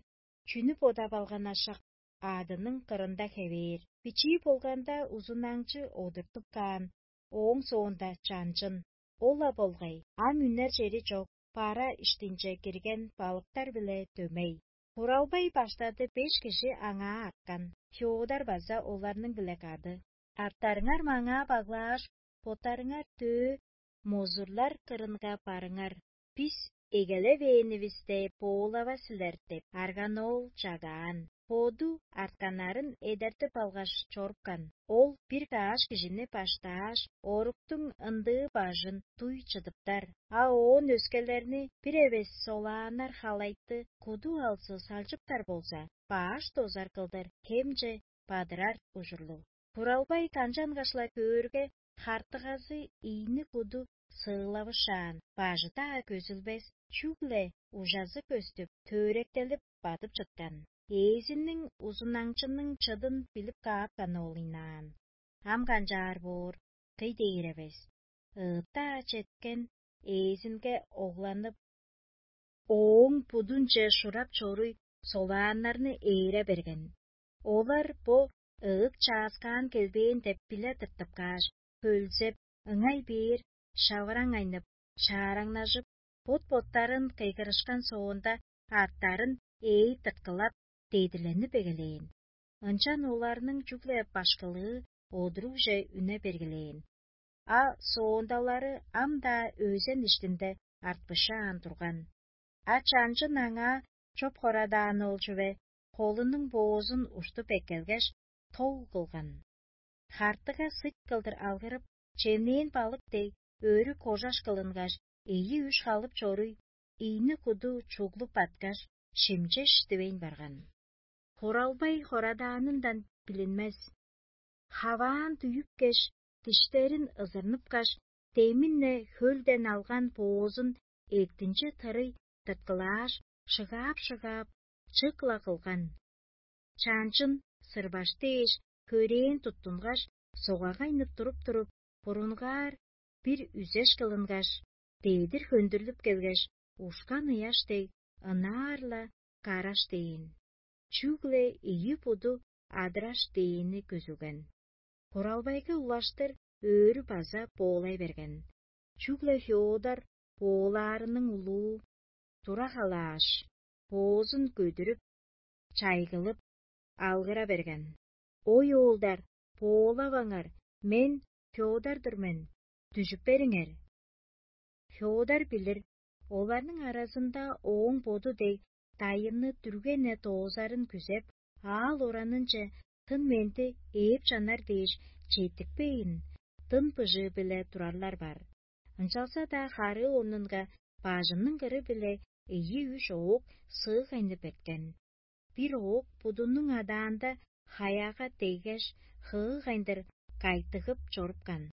чүнү бодап алган ашак, адының кырында хевээр. Бичии болганда узунаңчы одуртуп каан, ооң соонда чанчын. Ол-ла болгай, ам үнер чери чок, бара иштинче кирген балыктар-биле дөмей. Хуралбай баштады беш кижи аңаа арткан, Феодор база оларның-биле кады. Артарыңар маңаа баглааш, боттарыңар дөө мозурлар кырынга барыңар. Бис эгелевээнивисте боолава силер деп, арган оол чагаан. Боду артканнарын эдертип алгаш чорупкан. Ол бир каш кижини баштааш, оруктуң ындыы бажын дуй чыдыптар, а оон өскелерни бир эвес солааннар халайтты куду алзы салчыптар болза, баш дозар кылдыр хемче бадырар ужурлуг. Буралбай канчангаш-ла көөрге, хартыгазы ийни куду сыылавышаан, бажы-даа көзүлбес, чүгле ужазы көстүп, төөректелип бадып чыткан. Ээзиниң узунаңчының чыдын билип каапкан ол ыйнаан. Ам канчаар боор, кый дээр эвес. Ыыттаа четкен ээзинге огланып, ооң будунче шурап чоруй солааннарны ээре берген. Олар бо ыыт чааскаан келбээн деп биле тыртып кааш, хөлзеп, ыңай бээр шавыраңайнып, шаараңнажып, бот-боттарын кыйгырышкан соонда, аъттарын ээй тырткылап, дедиленип эгелээн. Ынчан оларның чүгле башкылыы одурувже үне бергилээн. А соондалары ам-даа өзен иштинде артпышаан турган. А чанчын аңаа чоп хорадаан ол чүве холунуң боозун уштуп эккелгеш, тол кылган. Хартыга сыт кылдыр алгырып, чемнээн балык дег, өрү кожаш кылынгаш, ийи-үш халып чоруй, ийни-куду чуглуп баткаш, шимчеш дивейн барган. Хуралбай хорадаанындан билинмес. Хаваан дүйүпкеш, диштерин ызырныпкаш, демин-не хөлден алган боозун эктинче тырый тырткылааш, шыгаап-шыгаап, чык-ла кылган. Чаанчын сырбаш дээш, хөрээн туттунгаш, согагайнып туруп-туруп, бурунгаар бир үзеш кылынгаш, дедир хөндүрлүп келгеш, ушкан ыяш дег, ынаар-ла караш дээн. Чүгле ийи буду адыраш дээни көзүлген. Хуралбайга улаштыр өөрү база боолай берген. Чүгле Феодор боолаарының улуу тура халааш, боозун көдүрүп, чайгылып, алгыра берген: «Ой, оолдар, боолаваңар, мен Феодор-дур мен, дүжүп бериңер». Феодор билир, оларның аразында ооң боду дег дайынны дүрген-не доозарын күзеп, аал-оранынче тын-менди ээп-чанар дээш четтикпейн, дын быжыы-биле турарлар бар. Ынчалза-даа харыы орнунга бажының кыры-биле ийи-үш оок сыыгайнып эрткен. Бир оок будунуң адаанда хаяга деггеш, хыыгайндыр кайтыгып чорупкан.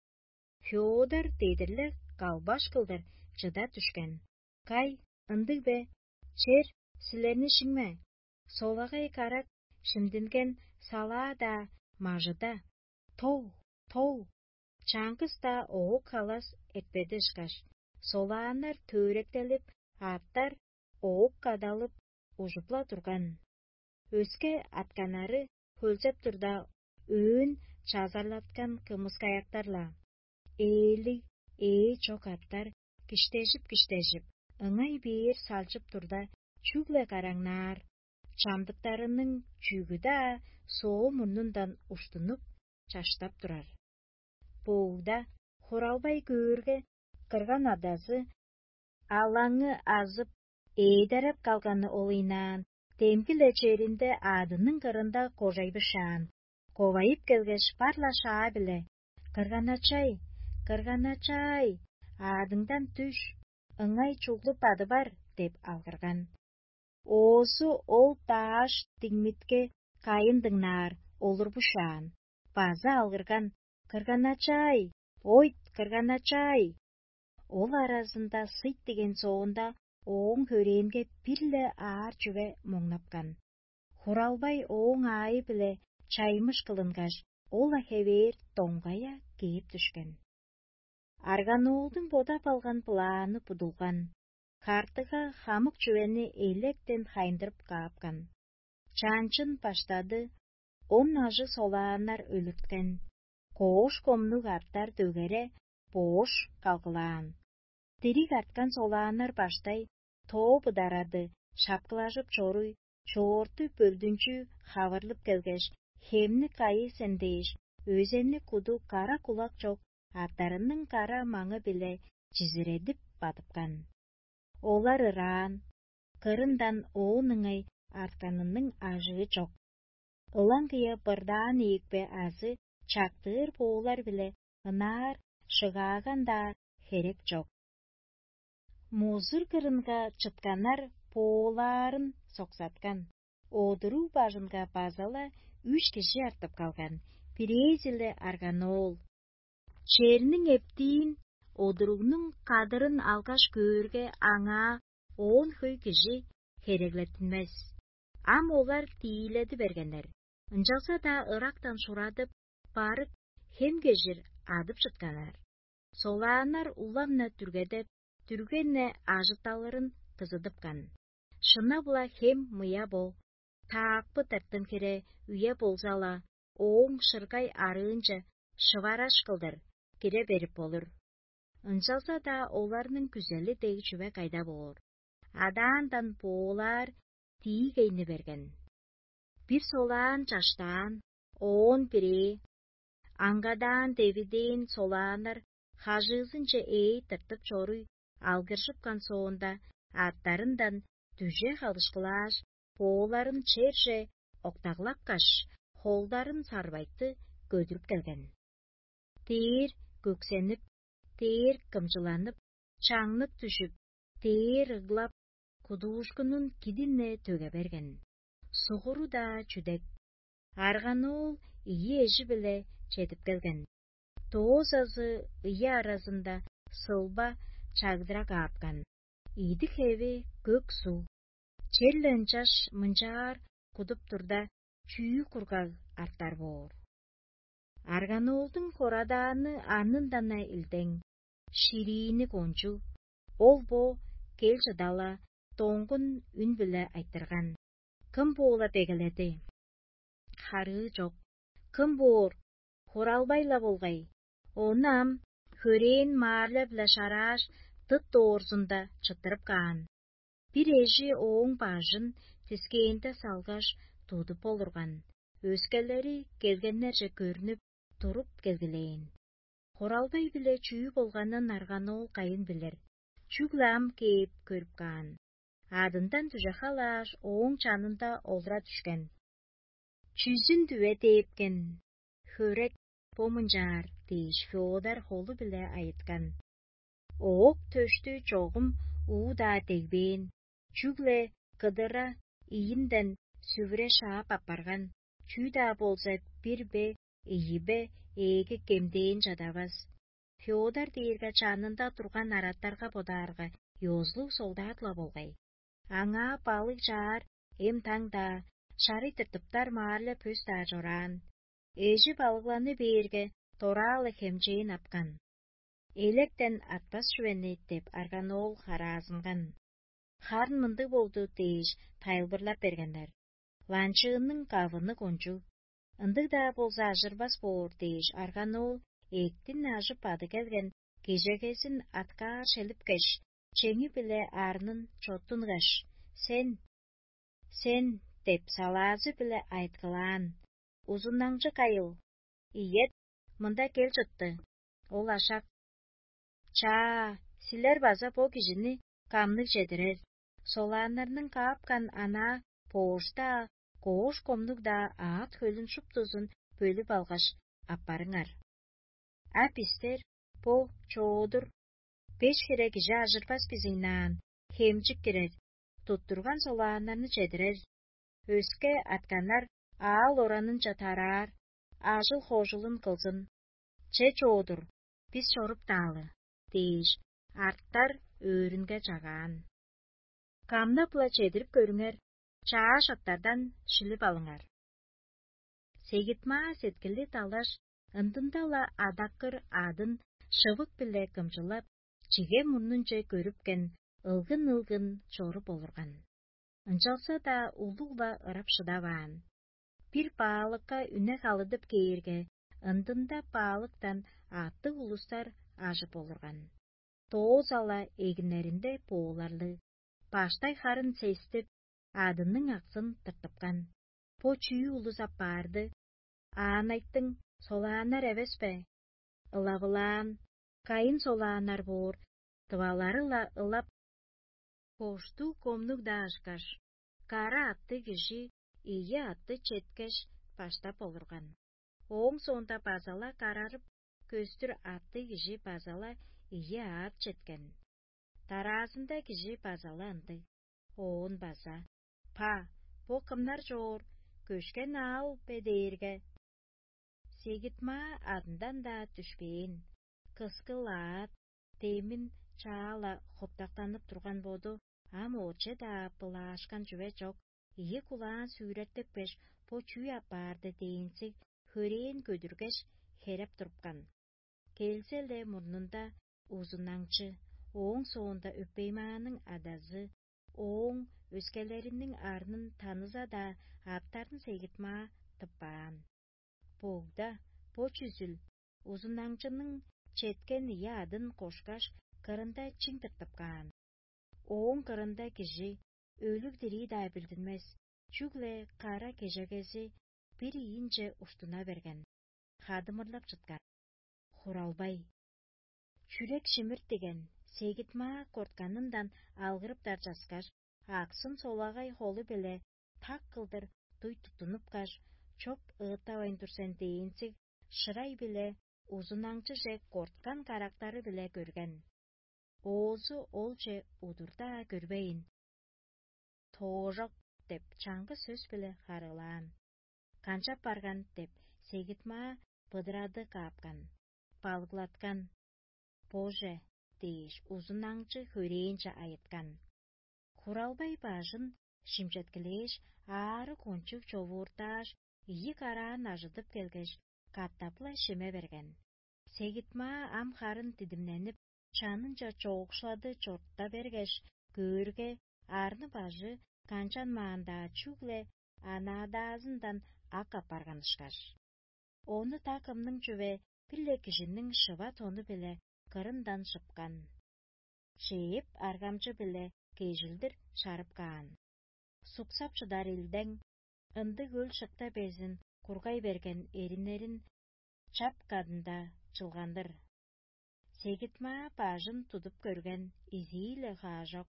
Феодор дедирле калбаш кылдыр чыда дүшкен: «Кай, ындыг бе? Чер силерни шиңме? Солагай карак шимдинген салаа-даа мажыда. Тол, тол!» Чаңгыс-даа оок халас эртпеди ышкаш, солааннар төөректелип, аъттар оок кадалып, ужуп-ла турган. Өске атканнары хөлзеп турда, өөн чазарлаткан кымыскаяктар-ла. Ээлиг, ээ чок аъттар киштежип-киштежип, ыңай бээр салчып турда, чүгле караңнаар, чамдыктарының чүгү-даа соо мурнундан уштунуп, чаштап турар. Боогда хуралбай көөрге, кырган адазы алаңы азып, ээдереп калганы олыйнаан, демги-ле черинде аъдының кырында кожай бышаан, ковайып келгеш, бар-ла шаа-биле: «Кырган-ачай, кырган-ачай, аъдыңдан дүш, ыңай чуглуп бады бар» – деп алгырган. Оозу ол дааш диңмитке кайын дыңнаар олур бушаан, база алгырган: «Кырган-ачай, ойт, кырган-ачай!» Ол аразында сыйт деген соонда ооң хөрээнге бир-ле аар чүве моңнапкан. Хуралбай ооң аайы-биле чаймыш кылынгаш, ол-ла хевээр доңгая кээп дүшкен. Арганоолдуң бодап алган планы будулган, хартыга хамык чүвени электен хайындырып каапкан. Чаанчын баштады, он ажыг солааннар өлүрткен, коош комнуг артар дөгере боош калгылаан. Дириг арткан солааннар баштай тоо быдарады шапкылажып чоруй, чоорту бөлдүнчү хавырлып келгеш, хемни кайы сен дээш, өзенни куду кара кулак чок аттарының кара маңы-биле чизиредип бадыпкан. Олар ыраан, кырындан оон ыңай артканының ажыы чок. Ылаңгыя бырдаан ийикпе азы чактыыр боолар-биле ынаар шыгааган-даа херек чок. Музур кырынга чытканнар боолаарын соксаткан, одуруу бажынга база-ла үш кижи артып калган, бирээзи-ле арганоол. Черниң эптиин, одуругнуң кадырын алгаш көөрге, аңаа оон хөй кижи хереглеттинмес. Ам олар тииледи бергеннер, ынчалза-даа ырактан шурадып, барып, хем кежир адып чытканнар. Солааннар улам-на дүргедеп, дүрген-не ажытталырын кызыдыпкан. Шына-була хем мыя бо, таакпы тыртым хире үе болза-ла, ооң шыргай арыынче шывараш кылдыр кире берип болур. Ынчалза-даа оларның күзели дег чүве кайда боор? Адаандан боолаар тиигейни берген. Бир солаан чаштаан, оон бирээ, аңгадаан-девидээн солааннар хажыызынче ээй тыртып чоруй, алгыржыпкан соонда, аттарындан дүже халышкылааш, бооларын черже октаглапкаш, холдарын сарбайтты көдүрүп келген. Дээр көксенип, дээр кымчыланып, чаңнык дүжүп, дээр ыглап, кудуушкунун кидин-не төге берген. Сугуру-даа чүдек. Арганоол ийи эжи-биле чедип келген. Доозазы ыйы аразында сылба чагдыра каапкан. Идик-хеви көк суг. Черле ынчаш мынчаар кудуп турда, чүү кургаг артар боор? Арганоолдуң хорадааны арнындан-на илдең, шириини кончуг, ол бо кел чыдала доңгун үн-биле айтырган: «Кым боола бегеледи?» Харыы чок. Кым боор? Хуралбай-ла болгай. Ону ам хөрээн маарля-биле шарааш, дыт доорзунда чыттырып каан. Бир эжи ооң бажын дискээнде салгаш, тудуп олурган. Өскелери келгеннерже көрнүп, туруп келгилээн. Хоралбай-биле чүү болганын арган ол кайын билир, чүгле ам кээп көрүп каан. Адындан дүже халааш, ооң чанында олура дүшкен. «Чүзүн дүве дээпкен? Хөрек бо мынчаар» – дээш, Феодар холу-биле айыткан. Оок төштү чогум уу-даа дегбээн, чүгле кыдыра ийинден сүвүре шаап апарган, чүү-даа болза бир бе, ийи бе, ээги кемдээн чадавас. Феодар дээрге чанында турган араттарга бодаарга, ёзулуг солдат-ла болгай. Аңаа балыг чаар эм-таң-даа, шарый тыртыптар маарле пөс-даа чораан. Эжи балыгланы бээрге, дораалы хемчээн апкан. «Электен атпас чүвени» – деп арган ол хараазынган. «Харын мындыг болду» – дээш, тайылбырлап бергеннер. «Ланчыынның кавыны кончуг, ындыг-даа болза ажырбас боор» – дээш, арган ол эъттин ажып ады келген кежегезин аткаар шелипкеш, чеңи-биле арнын чоттунгаш: «Сен, сен деп салаазы-биле айыткылаан. Узуннаңчы кайыл: «Ийет, мында кел чытты». Ол ашак: «Чаа, силер база бо кижини камныг чедирер, солааннарның каапкан анаа боошта коош комнуг-даа аът хөлүн шуптузун бөлүп алгаш, аппарыңар. А бистер бо чоодур беш хире кижи ажырбас бизиңнаан, хемчик кирер, туттурган солааннарны чедирер, өске атканнар аал оранынче тараар, ажыл-хожулун кылзын. Че чоодур, бис чоруптаалы» – дээш, арттар өөрүнге чагаан. Камнап-ла чедирип көрүңер, чааш оттардан шилип алыңар. Сегитмаа сеткили далаш, ындында-ла адаккыр адын шывык-биле кымчылап, чиге мурнунче көрүпкен, ылгын-ылгын чоруп олурган. Ынчалза-даа улуг-ла ырап шыдаваан. Бир баалыкка үне халыдып кээрге, ындында баалыктан аъттыг улустар ажып олурган. Доозала эгиннеринде бооларлыг, баштай харын сестип, адының аксын тыртыпкан. Бо чүү улус аппаарды? Аанайтың солааннар эвес бе? Ылавылаан, кайын солааннар боор, тывалары-ла ылап, коштуг комнуг-даа ышкаш, кара атты кижи ийи атты четкеш, баштап олурган. Ооң соонда база-ла карарып көстүр атты кижи база-ла ийи аът четкен. Дараазында кижи база-ла ындыг. Оон база: «Па, бо кымнар чоор, көшкен аал бе?» – дээрге, Сегитмаа адындан-даа дүшпээн, кыскыл аът, демин чаа-ла хоптактанып турган боду, ам ооче-даа былаашкан чүве чок, ийи кулаан сүүреттипкеш, бо чүү аппаарды дээнзиг, хөрээн көдүргеш, хереп турупкан. Келзе-ле мурнунда узунаңчы, ооң соонда өпеймааның адазы, ооң өскелериниң арнын таныза-даа, аптарын сегитмаа тыппаан. Богда бо чүзүл узунаңчының четкен ийи адын кошкаш, кырында чиң тыртып каан. Ооң кырында кижи өлүг-дирии-даа билдинмес, чүгле кара кежегези бир ийинче уштуна берген, хадымырлап чыткан. Хуралбай, чүрек шимиртиген, сегитмаа кортканындан алгырыптар часкаш, аксын солагай холу-биле так кылдыр дуй туттунупкаш, чоп ыыттавайн тур сен дээнзиг шырай-биле узунаңчыже корткан карактары-биле көрген. Оозу олче удурда көрбейн: «Тоожок» – деп чаңгыс сөс-биле харыылаан. «Канчап барган?» – деп сегитмаа быдырады каапкан, балыглаткан. «Боже» – дээш, узунаңчы хөрээнче айыткан. Хуралбай бажын шимчеткилээш, аарыг кончуг човууртааш, ийи караан ажыдып келгеш, катап-ла шиме берген. Сегитмаа ам харын дидимненип, чанынче чоокшулады чорта бергеш, көөрге, арны-бажы канчанмаан-даа, чүгле анадаазындан ак апарган ышкаш. Ону так ымның чүве бир-ле кижиниң шыва тону-биле кырындан шыпкан. Шээп аргамчы-биле кежилдир шарып каан. Суксап чыдар илдең ындыг өл-шыкта безин кургай берген эриннерин чап кадында чылгандыр. Сегитмаа бажын тудуп көрген изии-ле хаажок.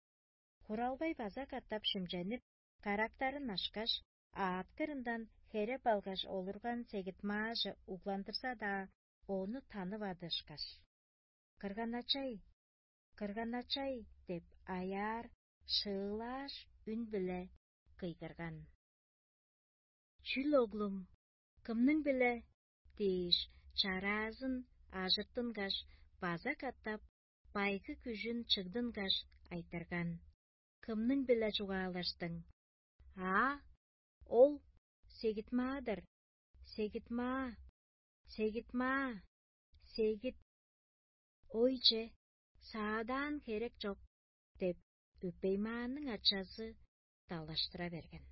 Хуралбай база катап шимченип, карактарын ашкаш, аът кырындан хереп алгаш олурган сегитмааже угландырза-даа, ону танывады ышкаш: «Кырганачай, кырганачай!» – деп аяар, шыылааш үн-биле кыйгырган. «Чүл, оглум, кымның-биле?» – дээш, чараазын ажыртынгаш, база катап байгы күжүн чыгдынгаш, айтырган: «Кымның-биле чугаалаштың?» «Аа, ол сегитмаа-дыр, сегитмаа, сегитмаа, сегит». «Ой, че, саадаан херек чок» – деп, өпеймааның ачазы далаштыра берген.